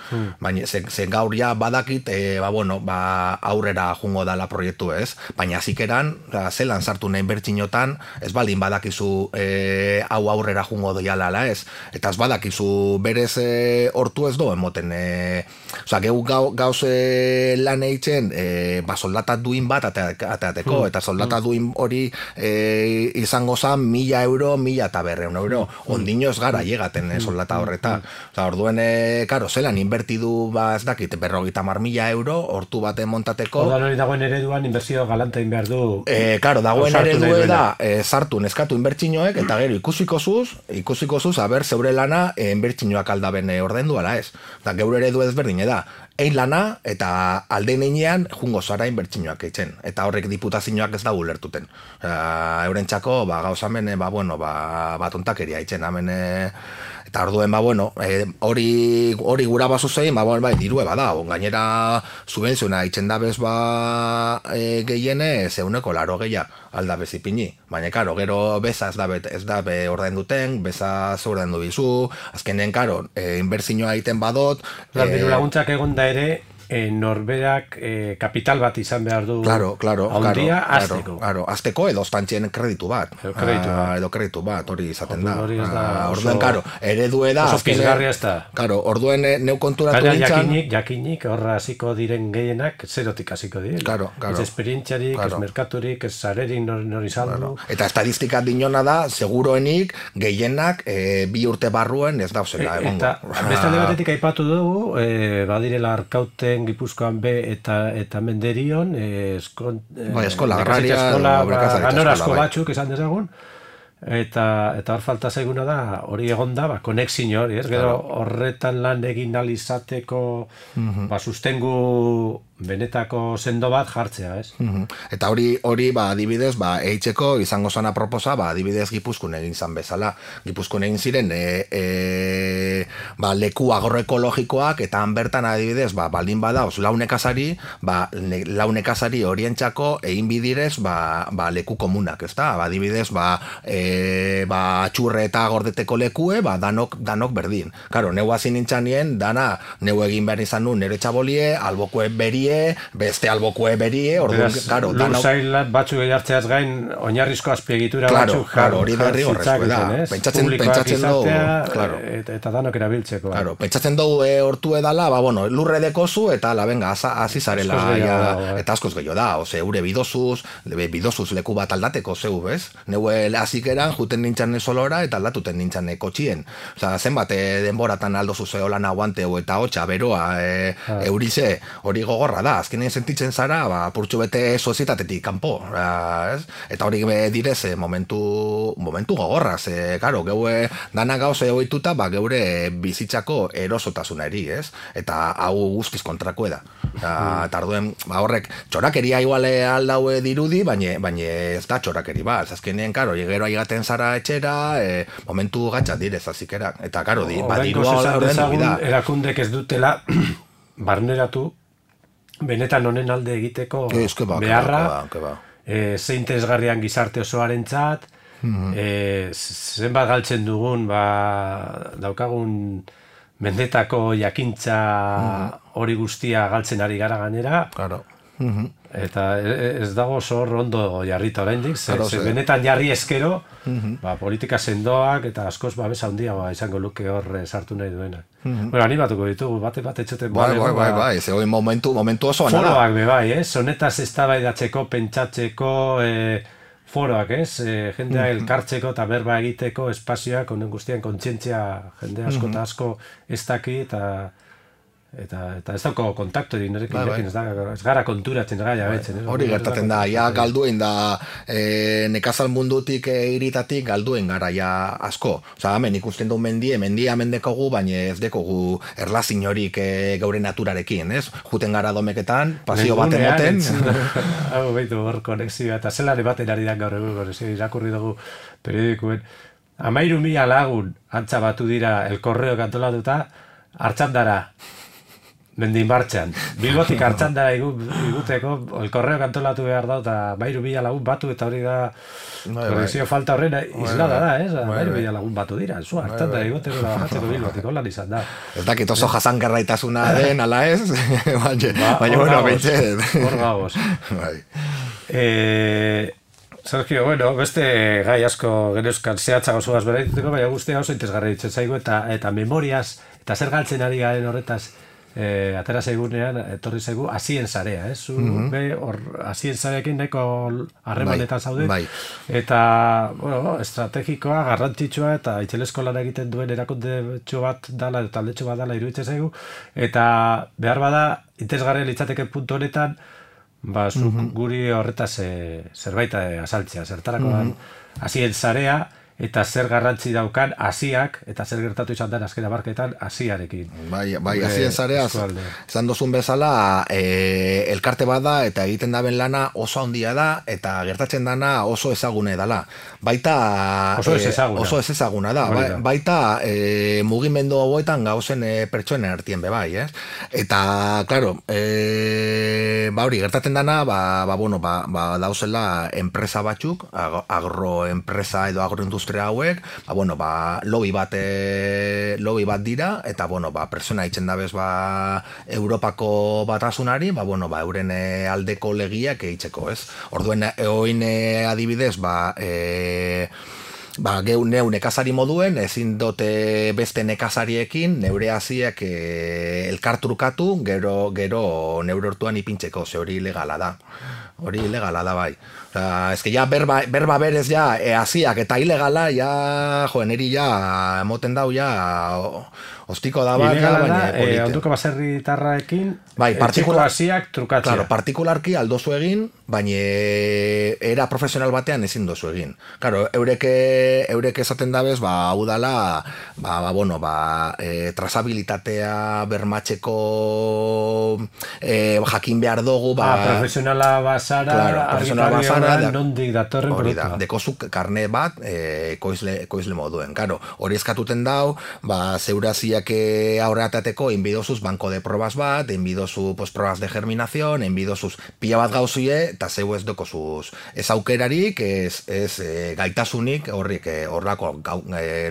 Baina ze gaur ja badakit, aurrera jungo dala proiektu ez. Baina zikeran, zelan sartu nahi inbertsinotan, ez baldin badakizu hau aurrera jungo doiala ez. Eta ez badakizu berez hortu ez do emoten. Gauz lan eitzen soldata duin bat ateateko, eta soldata duin hori izango zan 1.000 euro, 1.500 euro. Ondino ez gara llegaten soldata horreta. Orduen, zelan inbertidu ez dakit, 50.000 euro, hortu baten montateko. Odan hori dagoen ereduan inbertsio galantein behar du. Dagoen eredue da, sartu neskatu inbertsinoek, eta gero ikusiko zuz, zeure lana inbertsinoak aldaben ordendu ala ez. Geure eredu ezberdin da. Ein lana eta aldein einean jungo zara inbertsinoak eitzen. Eta horrek diputazioak ez da ulertuten. Eurentzako, gauzamen, tontakeria eitzen. Eta orduen, hori gura bazu zein, dirue bada. Gainera, subvenziona eitzen dabez gehiene, zeuneko 80 aldabez ipini. Baina, gero beza ez da ordain duten, beza ze ordain du bizu, azkenen, inbertsioa egiten badot. Diru laguntzak egon da ere, norberak kapital bat izan behar du handia azteko. Azteko edo ostantxien kreditu bat. Edo kreditu bat, hori izaten da. Orduen, eredue da. Oso pizgarria ez da. Orduen neu konturatu nintzen. Jakinik, horra hasiko diren gehienak, zerotik hasiko diren. Ez esperientziarik, ez merkaturik, ez zarerik nori saldu. Eta estadistika dinona da, seguroenik, gehienak, 2 urte barruen ez dauzela. Eta beste alde batetik aipatu dugu, badirela Arkauten, Gipuzkoan be eta Menderion, eskola agraria, ganora asko batzuk esan dezagun, eta hor falta zaiguna da, hori egonda, konexio hori, ez? Gero horretan lan egin alizateko sustengu benetako sendo bat jartzea, ez? Eta hori adibidez, eitzeko izango zana proposa, adibidez Gipuzkoan egin zan bezala. Gipuzkoan egin ziren leku agroekologikoak, eta han bertan adibidez, baldin badauz launekazari, launekazari horientzako egin bidirez leku komunak, ez da? Adibidez, atxurre eta gordeteko lekue, danok berdin. Karo, neu hasi nintzanien, neu egin behar izan nu, nire txabolie, albokue berie, beste albokue berie, lurzailat batzuk egartzeaz gain, oinarrizko azpiegitura batzuk hori berri horrezko da. Pentsatzen dugu, eta danok erabiltzeko. Pentsatzen dugu hortu edala, lurre dekozu, eta venga, hasi zarela, eta askoz gehiago da, eure bidozuz leku bat aldateko zeu, bez? Neue hasikeran, juten nintzen solora, eta aldatuten nintzen kotxien. Zenbat denboratan aldozu zeolan aguanteu, eta hotxa, beroa, eurize, hori gogorra da, azkenean sentitzen zara, purtsu bete sozietatetik kanpo, eta hori direz momentu gogorra, karo, geue dana gauze ohituta, geure bizitzako erosotasuna eri, ez? Eta hau guztiz kontrakoe da. Eta arduen, horrek, txorakeria iguale aldaue dirudi, baina ez da txorakeri bat, azkenean, karo, gero aigaten zara etxera, momentu gatxat direz, azikera, eta karo, dirua horren dugu da. Erakundek ez dutela barneratu benetan honen alde egiteko beharra, ze interesgarrian gizarte osoarentzat, zenbat galtzen dugun, daukagun mendetako jakintza hori guztia galtzen ari gara ganera, eta ez dago zor ondo jarrita oraindik, benetan jarri eskero, politika sendoak eta askoz babesa handiagoa izango luke hor sartu nahi duenak. Bueno, animatuko ditugu, bate etxoten. Bai, zegoen momentu oso anara. Foroak bebai, honetaz eztabaidatzeko, pentsatzeko foroak, jendea elkartzeko eta berba egiteko espazioak, honen guztian kontzientzia jende asko eta asko ez daki, eta ez dauko kontaktu nirekin, ez gara konturatzen gaia betzen. Hori gertatzen da, galduen da, nekazal mundutik iritatik galduen gara asko. Hemen ikusten du mendia mendekogu, baina ez dekogu erlazin horik gaure naturarekin, ez? Juten gara domeketan, pasio bat emoten. Hau behitu hor konexioa, eta zelare baten ari da gaur egun, irakurri dugu periodikoen. 13.000 lagun antza batu dira El Correo kantolatuta, Artxandara. Mendin martxan. Bilbotik Artxandara iguteko, El Correo kantolatu behar da, eta 13.000 lagun batu, eta hori da, konexio falta horrena, izlada da, 13.000 lagun batu dira, Artxandara iguteko da bajatzeko Bilbotik, holan izan da. Ez dakit oso jasangarraitasuna den, ala ez? Baina, bueno, bentset. Hor gagoz. Sergio, beste gai asko geneuzkan zehatzago zugaz beraituteko, baina guztia oso interesgarri ditzen zaigu, eta memoriaz, eta zer galtzen ari garen horretaz, atera zaigunean, etorri zaigu, hasien zarea, zu hasien zarekin nahiko harremanetan zaude, eta, estrategikoa, garrantzitsua, eta itxelesko lan egiten duen erakunde bat dala, taldetxo bat dala iruditzen zaigu, eta behar bada, interesgarria litzateke puntu honetan, guri horretaz zerbait azaltzea, zertarakoan hasien zarea, eta zer garrantzi daukan hasiak, eta zer gertatu izan den azken hamarkadetan hasiarekin. Bai, hasien zarea, esan dozun bezala, elkarte bat da, eta egiten daben lana oso handia da, eta gertatzen dana oso ezagune dala. Baita... Oso ez ezaguna da. Baita mugimendu hauetan gauzen pertsoen artien bebai, ez? Eta, klaro, hori, gertatzen dana, dauzela enpresa batzuk, agroenpresa edo agroindustria industria hauek, lobby bat dira, eta, pertsona itzen dabez, Europako batasunari, euren aldeko legiak eitzeko, ez? Orduen, oin adibidez, neu nekazari moduen, ezin dote beste nekazariekin, neure hasiek elkartrukatu, gero neure hortuan ipintzeko, ze hori ilegala da. Hori ilegala da bai. Ez que ja berba berez ja hasiak eta ilegala, ja, neri ja emoten dau ja ostiko da bat. Ilegala da, onduko baserritarraekin, etxeko hasiak trukatzea. Claro, partikularki aldozu egin, baina era profesional batean ezin dozu egin. Claro, eurek esaten dabez, hau dala, trazabilitatea bermatzeko jakin behar dugu, profesionala basara, nondik datorren produktua. Dekozuk karne bat ekoizle moduen. Claro, hori eskatuten dau, zeuraziak aurreatateko inbidozuz banko de probas bat, inbidozu probas de germinación, inbidozuz pila bat gauzie, eta zeu ez dokozuz ez aukerarik, ez gaitasunik horrako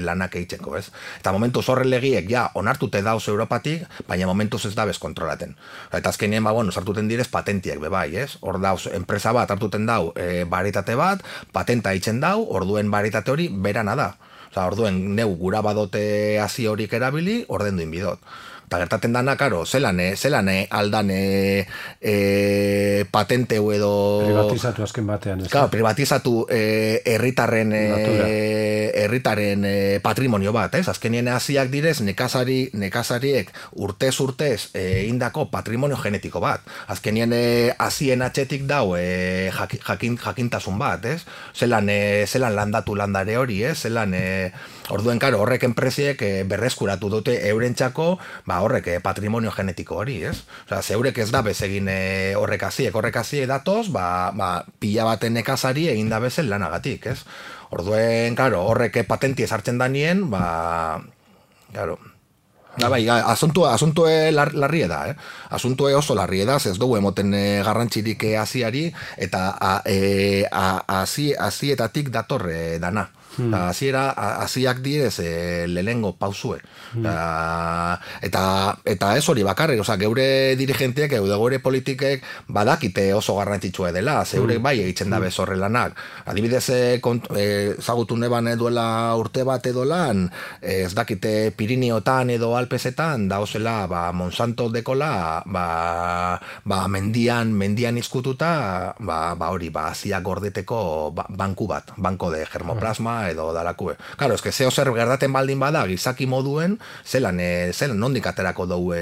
lanak eitzeko, ez? Eta momentuz horren legiek ja onartute dauz Europatik, baina momentuz ez dabez kontrolaten. Eta azkenien, sartuten direz patentiek bebai, ez? Hor dauz, enpresa bat hartuten dau baritate bat, patenta eitzen dau, orduen baritate hori berana da. Orduen neu gura badote hasi horik erabili, ordendu inbidot. Eta gertaten dana, karo, zelan aldan patenteu edo... Privatizatu azken batean. Claro, privatizatu herritarren patrimonio bat, ez? Azkenien hasiak direz, nekazariek urtez indako patrimonio genetiko bat. Azkenien hasien atxetik dau jakintasun bat, ez? Zelan landatu landare hori, ez? Orduen, karo, horrek enpresiek berreskuratu dute eurentzako, horrek patrimonio genetiko hori, ez? Zeurek ez da bezegin horrek hasiek datoz, pila baten nekazari egin da bezen lanagatik, ez? Orduen, karo, horrek patentie sartzen danien, karo... Asuntue larrie da, Asuntue oso larrie da, ez dugu emoten garrantzirik hasiari, eta hasietatik datorre dana. Hasiak direz lehengo pausue. Eta ez hori bakarrik, geure dirigenteak, geure politikek badakite oso garrantzitsua dela, zeurek bai egiten da bezorre lanak. Adibidez, zagutu neban duela urte bat edo lan, ez dakite Piriniotan edo Alpesetan, dauzela Monsanto dekola, mendian izkututa, hori, hasiak gordeteko banku bat, banko de germoplasma, edo dalakue. Claro, eske zeo zer gertaten baldin bada gizaki moduen, zelan nondik aterako dugu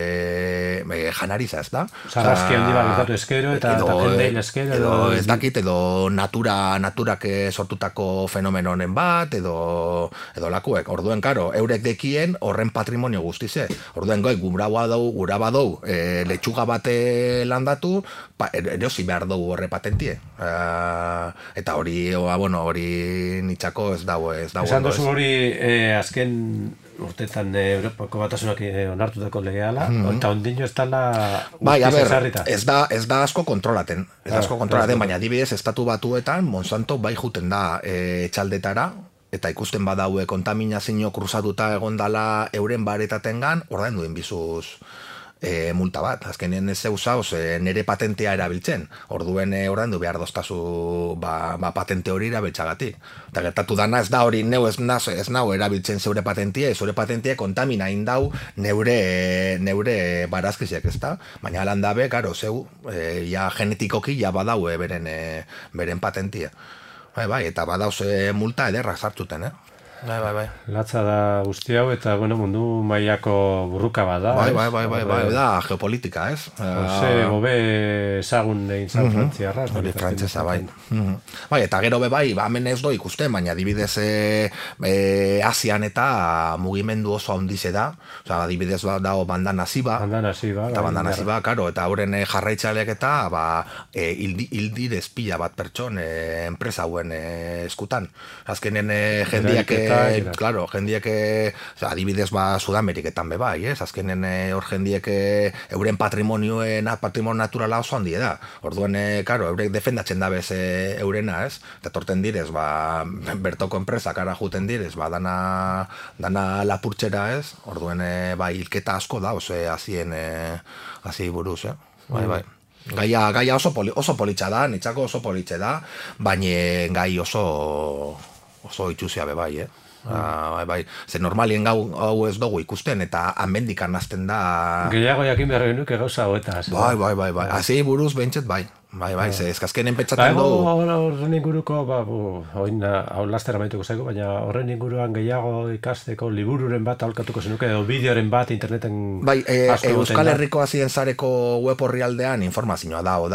janariza, ez da? Sarraski handi bat gertatu eskero, eta jendein eskero. Edo ez dakit, edo naturak sortutako fenomenonen bat, edo lakuek. Orduen, karo, eurek dekien horren patrimonio guztize. Orduen, gura badou, letxuga bate landatu, erosi behar dugu horre patentie. Eta hori nitxako ez dago. Esan dozu hori azken urtetan Europako batasunak onartutako legeala, eta ondino ez dala ezarrita. Ez da asko kontrolaten, baina adibidez estatu batuetan Monsanto bai juten da etxaldetara, eta ikusten badaue kontaminazio kruzatuta egondala euren baretatengan, ordaindu inbizuz multa bat. Azkenien ez zeuzauz nere patentea erabiltzen. Orduen ordaindu behar doztazu patente hori erabiltzagatik. Eta gertatu dana ez da hori, neu ez nau erabiltzen zeure patentia kontamina indau neure barazkiziak, ez da? Baina alan dabe, karo, zeu, genetikoki badau beren patentia. Bai, eta badauz multa ederrak sartzuten, Bai. Latza da guzti hau, eta mundu mailako burruka bada. Bai, da geopolitika, ez? Jose Bové ezagun egin zan frantziarra. Hori frantzesa, bai. Bai, eta gero bai, hemen ez do ikusten, baina adibidez Asian eta mugimendu oso handize da. Adibidez dago Bandana Siba. Eta Bandana Siba, karo, eta horren jarraitzaleak eta hildirez pila bat pertson enpresa hauen eskutan. Azkenen jendiak claro, jendiek, adibidez Sudameriketan bai, azkenen hor jendiek euren patrimonio naturala oso handi da. Orduen, claro, eurek defendatzen dabez eurena, eta torten direz, bertoko enpresak ara juten direz, dana lapurtxera, orduen, hilketa asko da, hazi buruz, bai. Gaia oso politxa da, nitzako oso politxe da, baina gai oso itxuzia bai, bai. Ze normalien hau ez dugu ikusten, eta hanmendik anazten da... Gehiago jakin behar genuke gauza hoetaz. Bai. Hazi buruz behintzet bai. Bai, ez azkenen pentsatzen dugu. Horren inguruko, hau lastera maituko zaigu, baina horren inguruan gehiago ikasteko libururen bat aholkatuko zenuke, edo bideoren bat interneten... Bai, Euskal Herriko Hazien Sareko web orrialdean informazioa dao,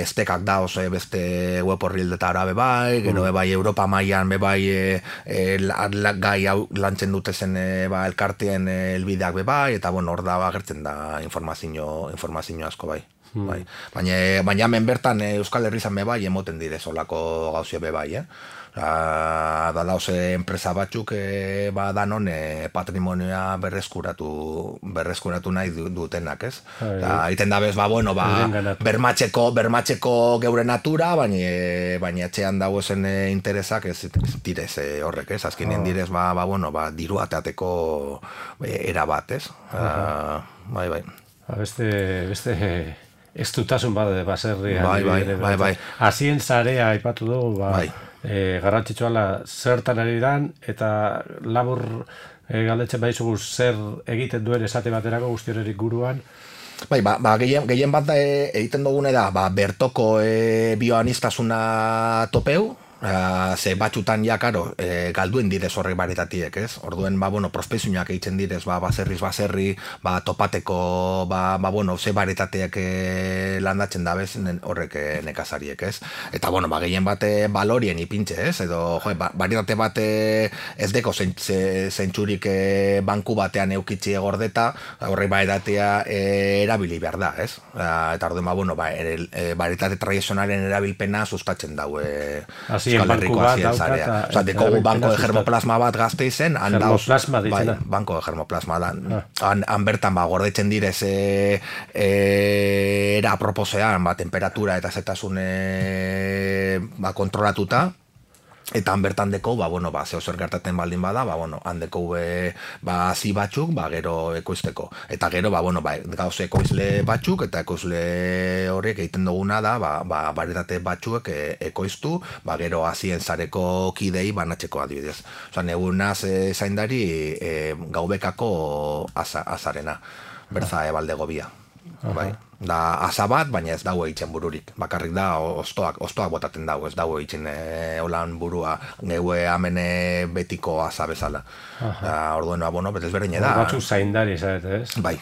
estekak dao beste web orrialdetara bai, gero bai Europa mailan bai gai hau lantzen dute zen elkarteen elbideak bai, eta hor da agertzen da informazio asko bai. Baina hemen bertan Euskal Herrizan bai emoten dire solako gauzie bai, da dauze enpresa batzuk danon patrimonioa berreskuratu nahi dutenak, ez? Aiten dabez, bermatzeko geure natura, baina etxean dauzen interesak ez direz horrek, ez? Azkenien direz, diru ateateko erabat, ez? Bai. Beste... Ez dutasun baserrian. Bai. Hazien zarea aipatu dugu, garrantzitsua zertan ari dan, eta labur galdetzen baizugu zer egiten duen esate baterako guzti horrerik guruan. Bai, gehien bat egiten dugune da, bertoko bioaniztasuna topeu, ze batxutan karo, galduen direz horrek baretatiek, ez? Orduen, prospezioak egiten direz, baserri, topateko, ze baretateak landatzen dabez horrek nekazariek, ez? Eta, gehien bat balorien ipintxe, ez? Edo, baretate bat ez deko zentsurik banku batean eukitzi gordeta, horrek baretatea erabili behar da, ez? Eta, orduen, baretate tradizionalen erabilpena sustatzen daue Euskal Herriko Hazien Sarea. Dekogu banko de germoplasma bat gazte izen, banko de germoplasma da. Han bertan gordetzen direz era proposean, temperatura eta zetasun kontrolatuta, eta han bertan deko, zeo zer gertaten baldin bada, han deko zi batzuk, gero ekoizteko. Eta gero, gauz ekoizle batzuk, eta ekoizle horiek egiten duguna da, baretate batzuek ekoiztu, gero Hazien Sareko kidei banatzeko adibidez. Osa, negunaz zaindari gaubekako azarena, berza ebalde gobia. Da asa bat, baina ez dago eitzen bururik. Bakarrik da ostoak botaten dago, ez dago eitzen holan burua geue amene betiko asa bezala. Orduen, betez berdine da. Batzu zaindari, zaret, ez? Bai.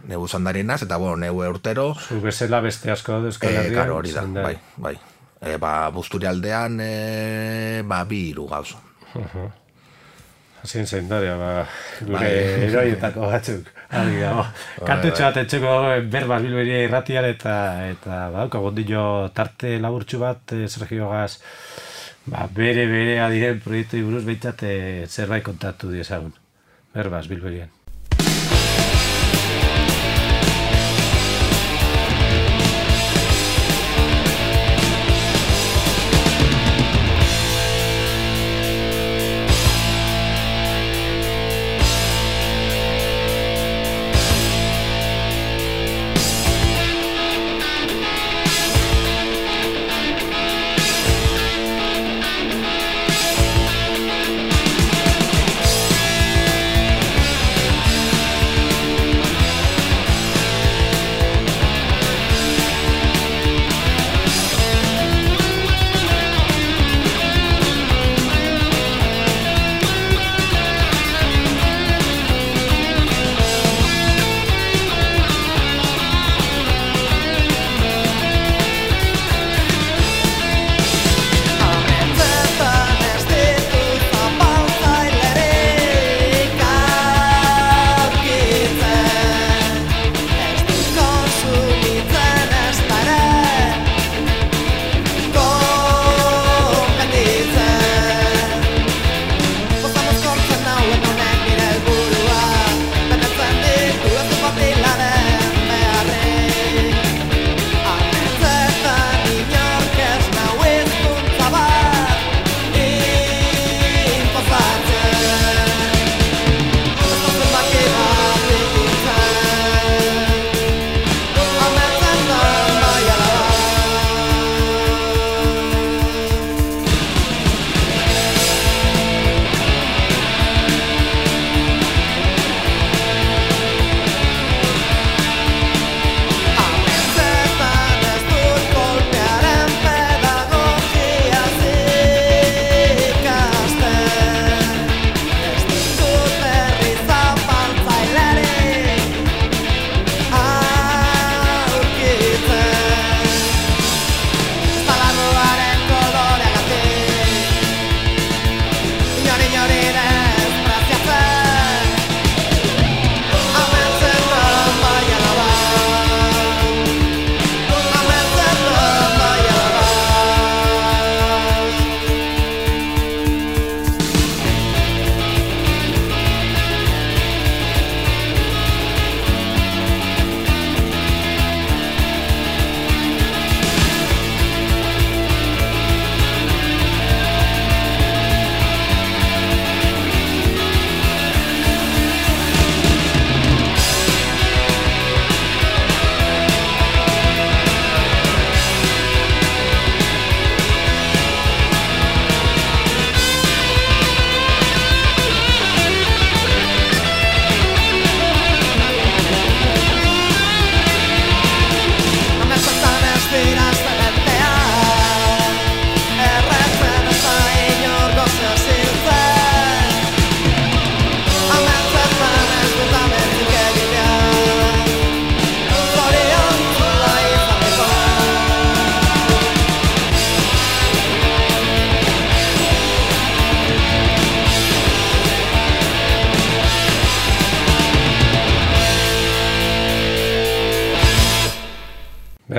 Neu zaindarinaz, eta neu urtero... Zu bezala beste asko da Euskal Herrian. Karo, hori da, bai. Busturialdean, 2 gauz. Hazien zaindaria, gure eroietako batzuk. Kantutxo bat etxeko Berbas Bilberia irratian eta gondillo tarte laburtxu bat Sergio Gaz bere adiren proiektu buruz behintzat zerbait kontatu diezagun. Berbas Bilberian.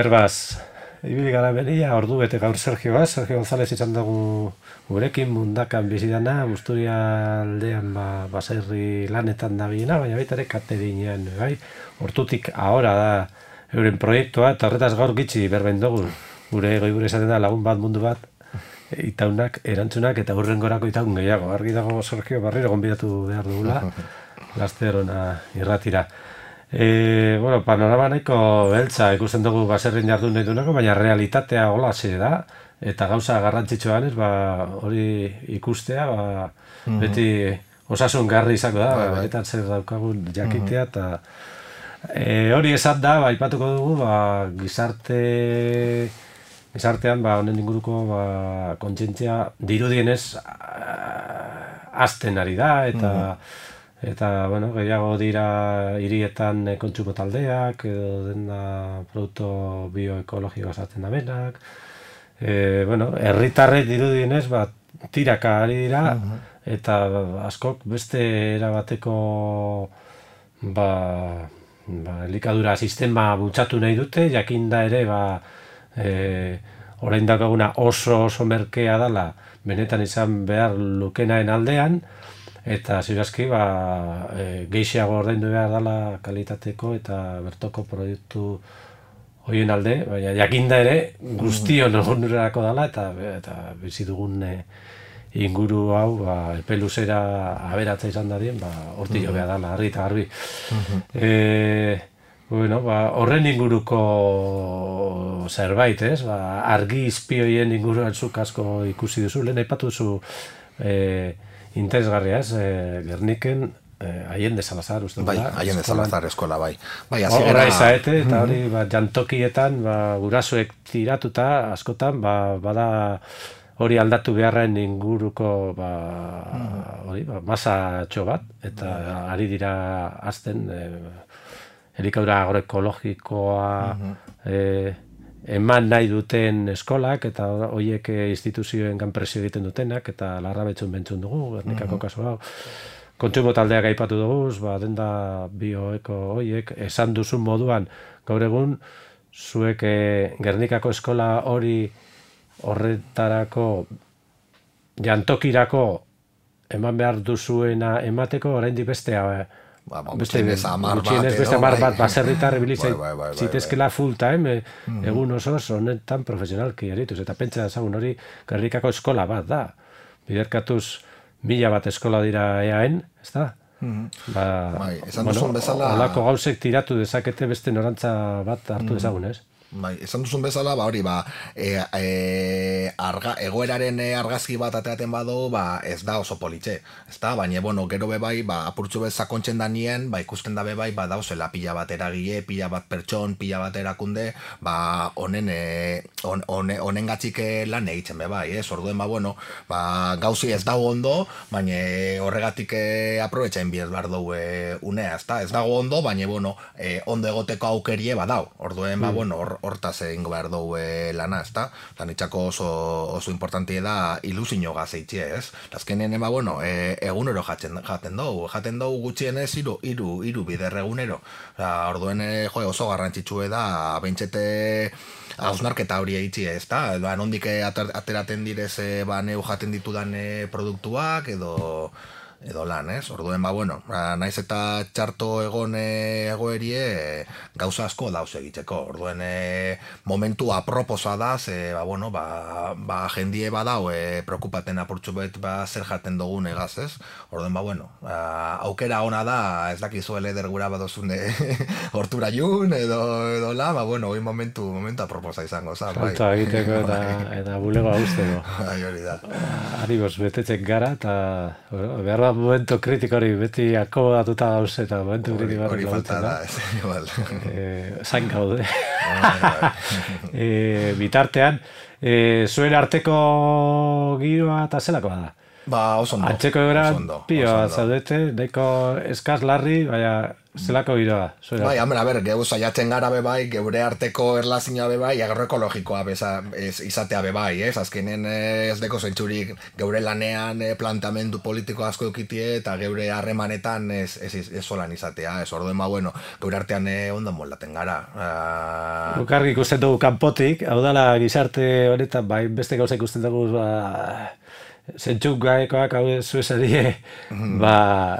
Berbaz, ibili gara beria, ordu bete gaur Sergio González izan dugu gurekin mundakan bizidana, Busturia aldean baserri lanetan da biena, baina baita ere kateringean, bai? Hortutik ahora da euren proiektua, eta horretaz gaur gitxi berben dugu, gure esaten da lagun bat mundu bat, itaunak, erantzunak, eta hurrengorako itaun gehiago. Argi dago Sergio barriro gonbidatu behar dugula, lasterona irratira. Bueno, panorama nahiko beltza ikusten dugu baserrin jardun nahi dunako, baina realitatea holaxe da, eta gauza garrantzitsuan hori ikustea, beti osasun garri izango da, eta zer daukagun jakitea, eta hori esan da, aipatuko dugu, gizartean, honen inguruko kontzientzia dirudienez azten ari da, eta bueno, gehiago dira hirietan kontsumo taldeak, edo dena produktu bioekologikoa sartzen da benak. Bueno, herritarrek dirudienez, tiraka ari dira, eta askok beste erabateko elikadura sistema bultzatu nahi dute, jakinda ere, orain daukaguna oso merkea dela, benetan izan behar lukenaen aldean, eta zirazki geixiago ordaindu behar dela kalitateko eta bertoko proiektu horien alde, baina jakinda ere guztion onurerako dela eta bizi dugun inguru hau epe luzera aberatza izan dadien, hortik jo behar dela, argi eta garbi. Bueno, horren inguruko zerbait, ez? Argi izpioien inguruan zuk asko ikusi duzu, lehen aipatu duzu interesgarria, ez? Gerniken Allende Salazar, uste dut. Bai, Allende Salazar eskola, bai. Horra izaete, eta hori jantokietan gurasoek tiratuta, askotan, bada hori aldatu beharren inguruko masatxo bat, eta ari dira azten elikadura agroekologikoa eman nahi duten eskolak, eta horiek instituzioen presio egiten dutenak, eta larrabetxun bentzun dugu, Gernikako kasu hau. Kontsumo taldeak aipatu dugu, denda bioeko horiek, esan duzun moduan, gaur egun, zuek Gernikako eskola hori horretarako, jantokirako eman behar duzuena emateko, oraindik bestea, gutxienez beste 10 bat baserritar zitezkela full time egun oso honetan profesionalki erituz, eta pentsa ezagun hori Gernikako eskola bat da, biderkatuz 1000 bat eskola dira eaen, ez da? Esan duzun bezala holako gauzek tiratu dezakete beste norantza bat hartu dezagun, ez? Esan duzun bezala, hori, egoeraren argazki bat ateaten badu, ez da oso politxe, ez da? Baina, gero bebai, apurtxu bez sakontzen da nien, ikusten da bebai, dauzela pila bat eragile, pila bat pertson, pila bat erakunde, honen gatzik lan egiten bebai, ez? Orduen, gauzi ez dago ondo, baina horregatik aprobetxain bihar behar dugu unea, ez da? Ez dago ondo, baina, ondo egoteko aukerie badau, orduen, hortaz egingo behar dugu lana, ez da? Lanitzako oso importantia da ilusio gazeitxea, ez? Azkenean, egunero jaten dugu gutxienez hiru bider egunero. Orduen, oso garrantzitsue da, behintzete hausnarketa hori eitxia, ez da? Nondik ateraten direz neu jaten ditudan produktuak edo lan, ez? Orduen, naiz eta txarto egon egoerie gauza asko dauz egiteko. Orduen, momentu aproposa da, jendie badau preokupaten apurtxu bet zer jaten dugun egaz, ez? Orduen, aukera ona da, ez dakizuele dergura badozun hortura jun, edo la, hoi momentu aproposa izango, za, bai. Falta egiteko eta bulego hauzteko. Hori da. Ariboz, betetzen gara, eta behar da momentu kritiko hori beti akomodatuta gauz eta momentu kritiko hori falta da, ez igual. Zain gaude. Bitartean, zuen arteko giroa eta zelakoa da? Oso ondo. Antxeko egoera pioa zaudete, nahiko eskaz larri, baina zelako giroa? Bai, hambre, geu saiatzen gara bebai, geure arteko erlazioa bebai, agro ekologikoa izatea bebai, ez? Azkenen ez deko zentzurik geure lanean planteamendu politiko asko eukitie eta geure harremanetan ez solan izatea, ez orduen bueno, geure artean ondo moldaten gara. Ukarri ikusten dugu kanpotik, hau dala gizarte honetan, bai, beste gauza ikusten dugu, zentzuk gaekoak hau zuesarie,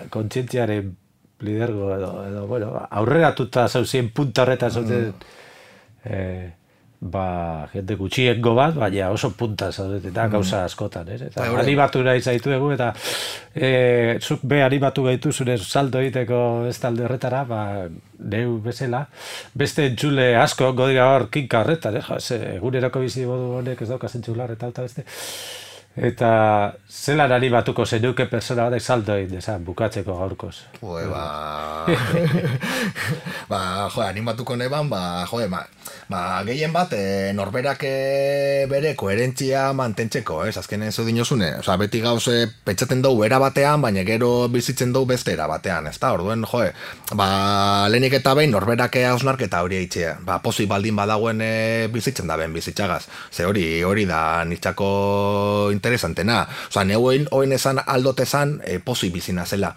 kontzientziaren lidergo edo bueno, aurreratuta zauzien punta horretan zauten jende gutxiengo bat, baina oso punta zaudete eta gauza askotan, eta animatu nahi zaituegu eta zuk be animatu gaitu zure salto egiteko ez talde horretara, neu bezala, beste entzule asko godira hor kinka horretan, eguneroko bizi modu honek ez dauka zentzular eta beste. Eta zelan animatuko zenuke persona batek salto egin dezan, bukatzeko gaurkoz? Animatuko neban, gehien bat, norberak bere koherentzia mantentzeko, ez? Azkenen zu dinozune, beti gauze pentsaten dugu era batean, baina gero bizitzen dugu beste era batean, ez da? Orduen, lehenik eta behin norberak hausnarketa hori eitzea, pozik baldin badagoen bizitzen da ben bizitzagaz, ze hori da nitzako interesantena. Neuen esan aldotezan pozik bizina zela.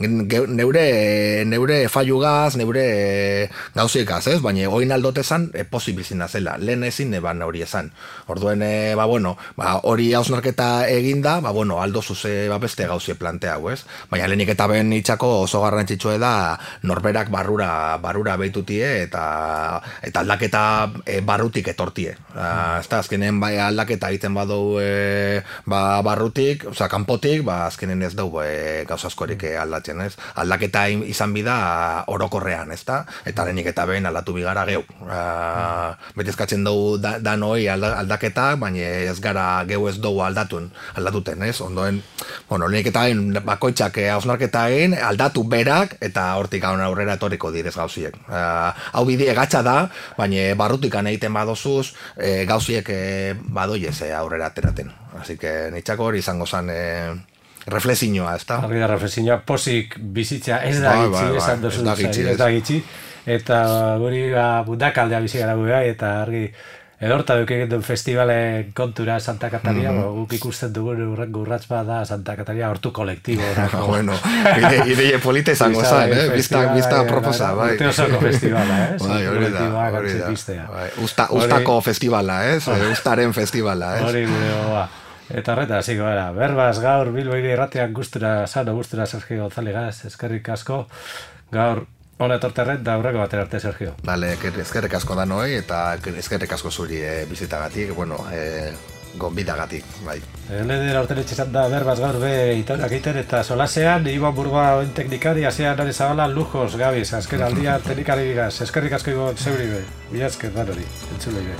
Neure faiugaz, neure gauzikaz, ez? Baina oin aldotezan pozik bizina zela. Lehen ezin eban hori esan. Orduen, hori hausnarketa eginda, aldo zuze beste gauzie planteau, ez? Baina lehenik eta ben itxako oso garrantzitsua da norberak barrura behitutie eta aldaketa barrutik etortie. Azkenen aldaketa egiten badau barrutik, kanpotik, azkenen ez dugu gauza askorik aldatzen, ez? Aldaketa izan bida orokorrean, ez da? Eta lehenik eta behin aldatu bigara geu. Beti eskatzen dugu danoi aldaketak, baina ez gara geu ez dugu aldatuten, ez? Ondoen, lehenik eta behin bakoitzak hausnarketa egin, aldatu berak, eta hortik aurrera etorriko direz gauziek. Hau bide gatsa da, baina barrutik egiten badozuz, gauziek badoiez aurrera ateraten. Así que nitzako hori izango zen reflexioa, ez da? Argi da reflexioa, pozik bizitza ez da gitzi, esan dozu ez da gitzi, eta guri bundakaldea bizi gara gugai, eta argi edorta duk egiten festivalen kontura Santa Katalia, guk ikusten dugun urrengo urratz bat da Santa Katalia hortu kolektibo. Bueno, ideie polite izango zen, bizta proposa, bai. Urte osoko festivala, hori da. Ustako festivala, ustaren festivala. Hori gure goa. Eta horreta, hasiko gara, berbaz gaur Bilboiri irratean gustura Sergio González, eskerrik asko, gaur hona etorterren da aurreko batera arte, Sergio. Bale, eskerrik asko da noi, eta eskerrik asko zuri bizitagatik, gonbidagatik, bai. Lehen orten etxezan da berbaz gaur itorak egiten eta solasean, Iban Burgoa oen teknikari, asean nare zabala lujos, gabiz, azken aldia teknikari bigaz, eskerrik asko zeuri be, bila esker dan hori, entzulei be.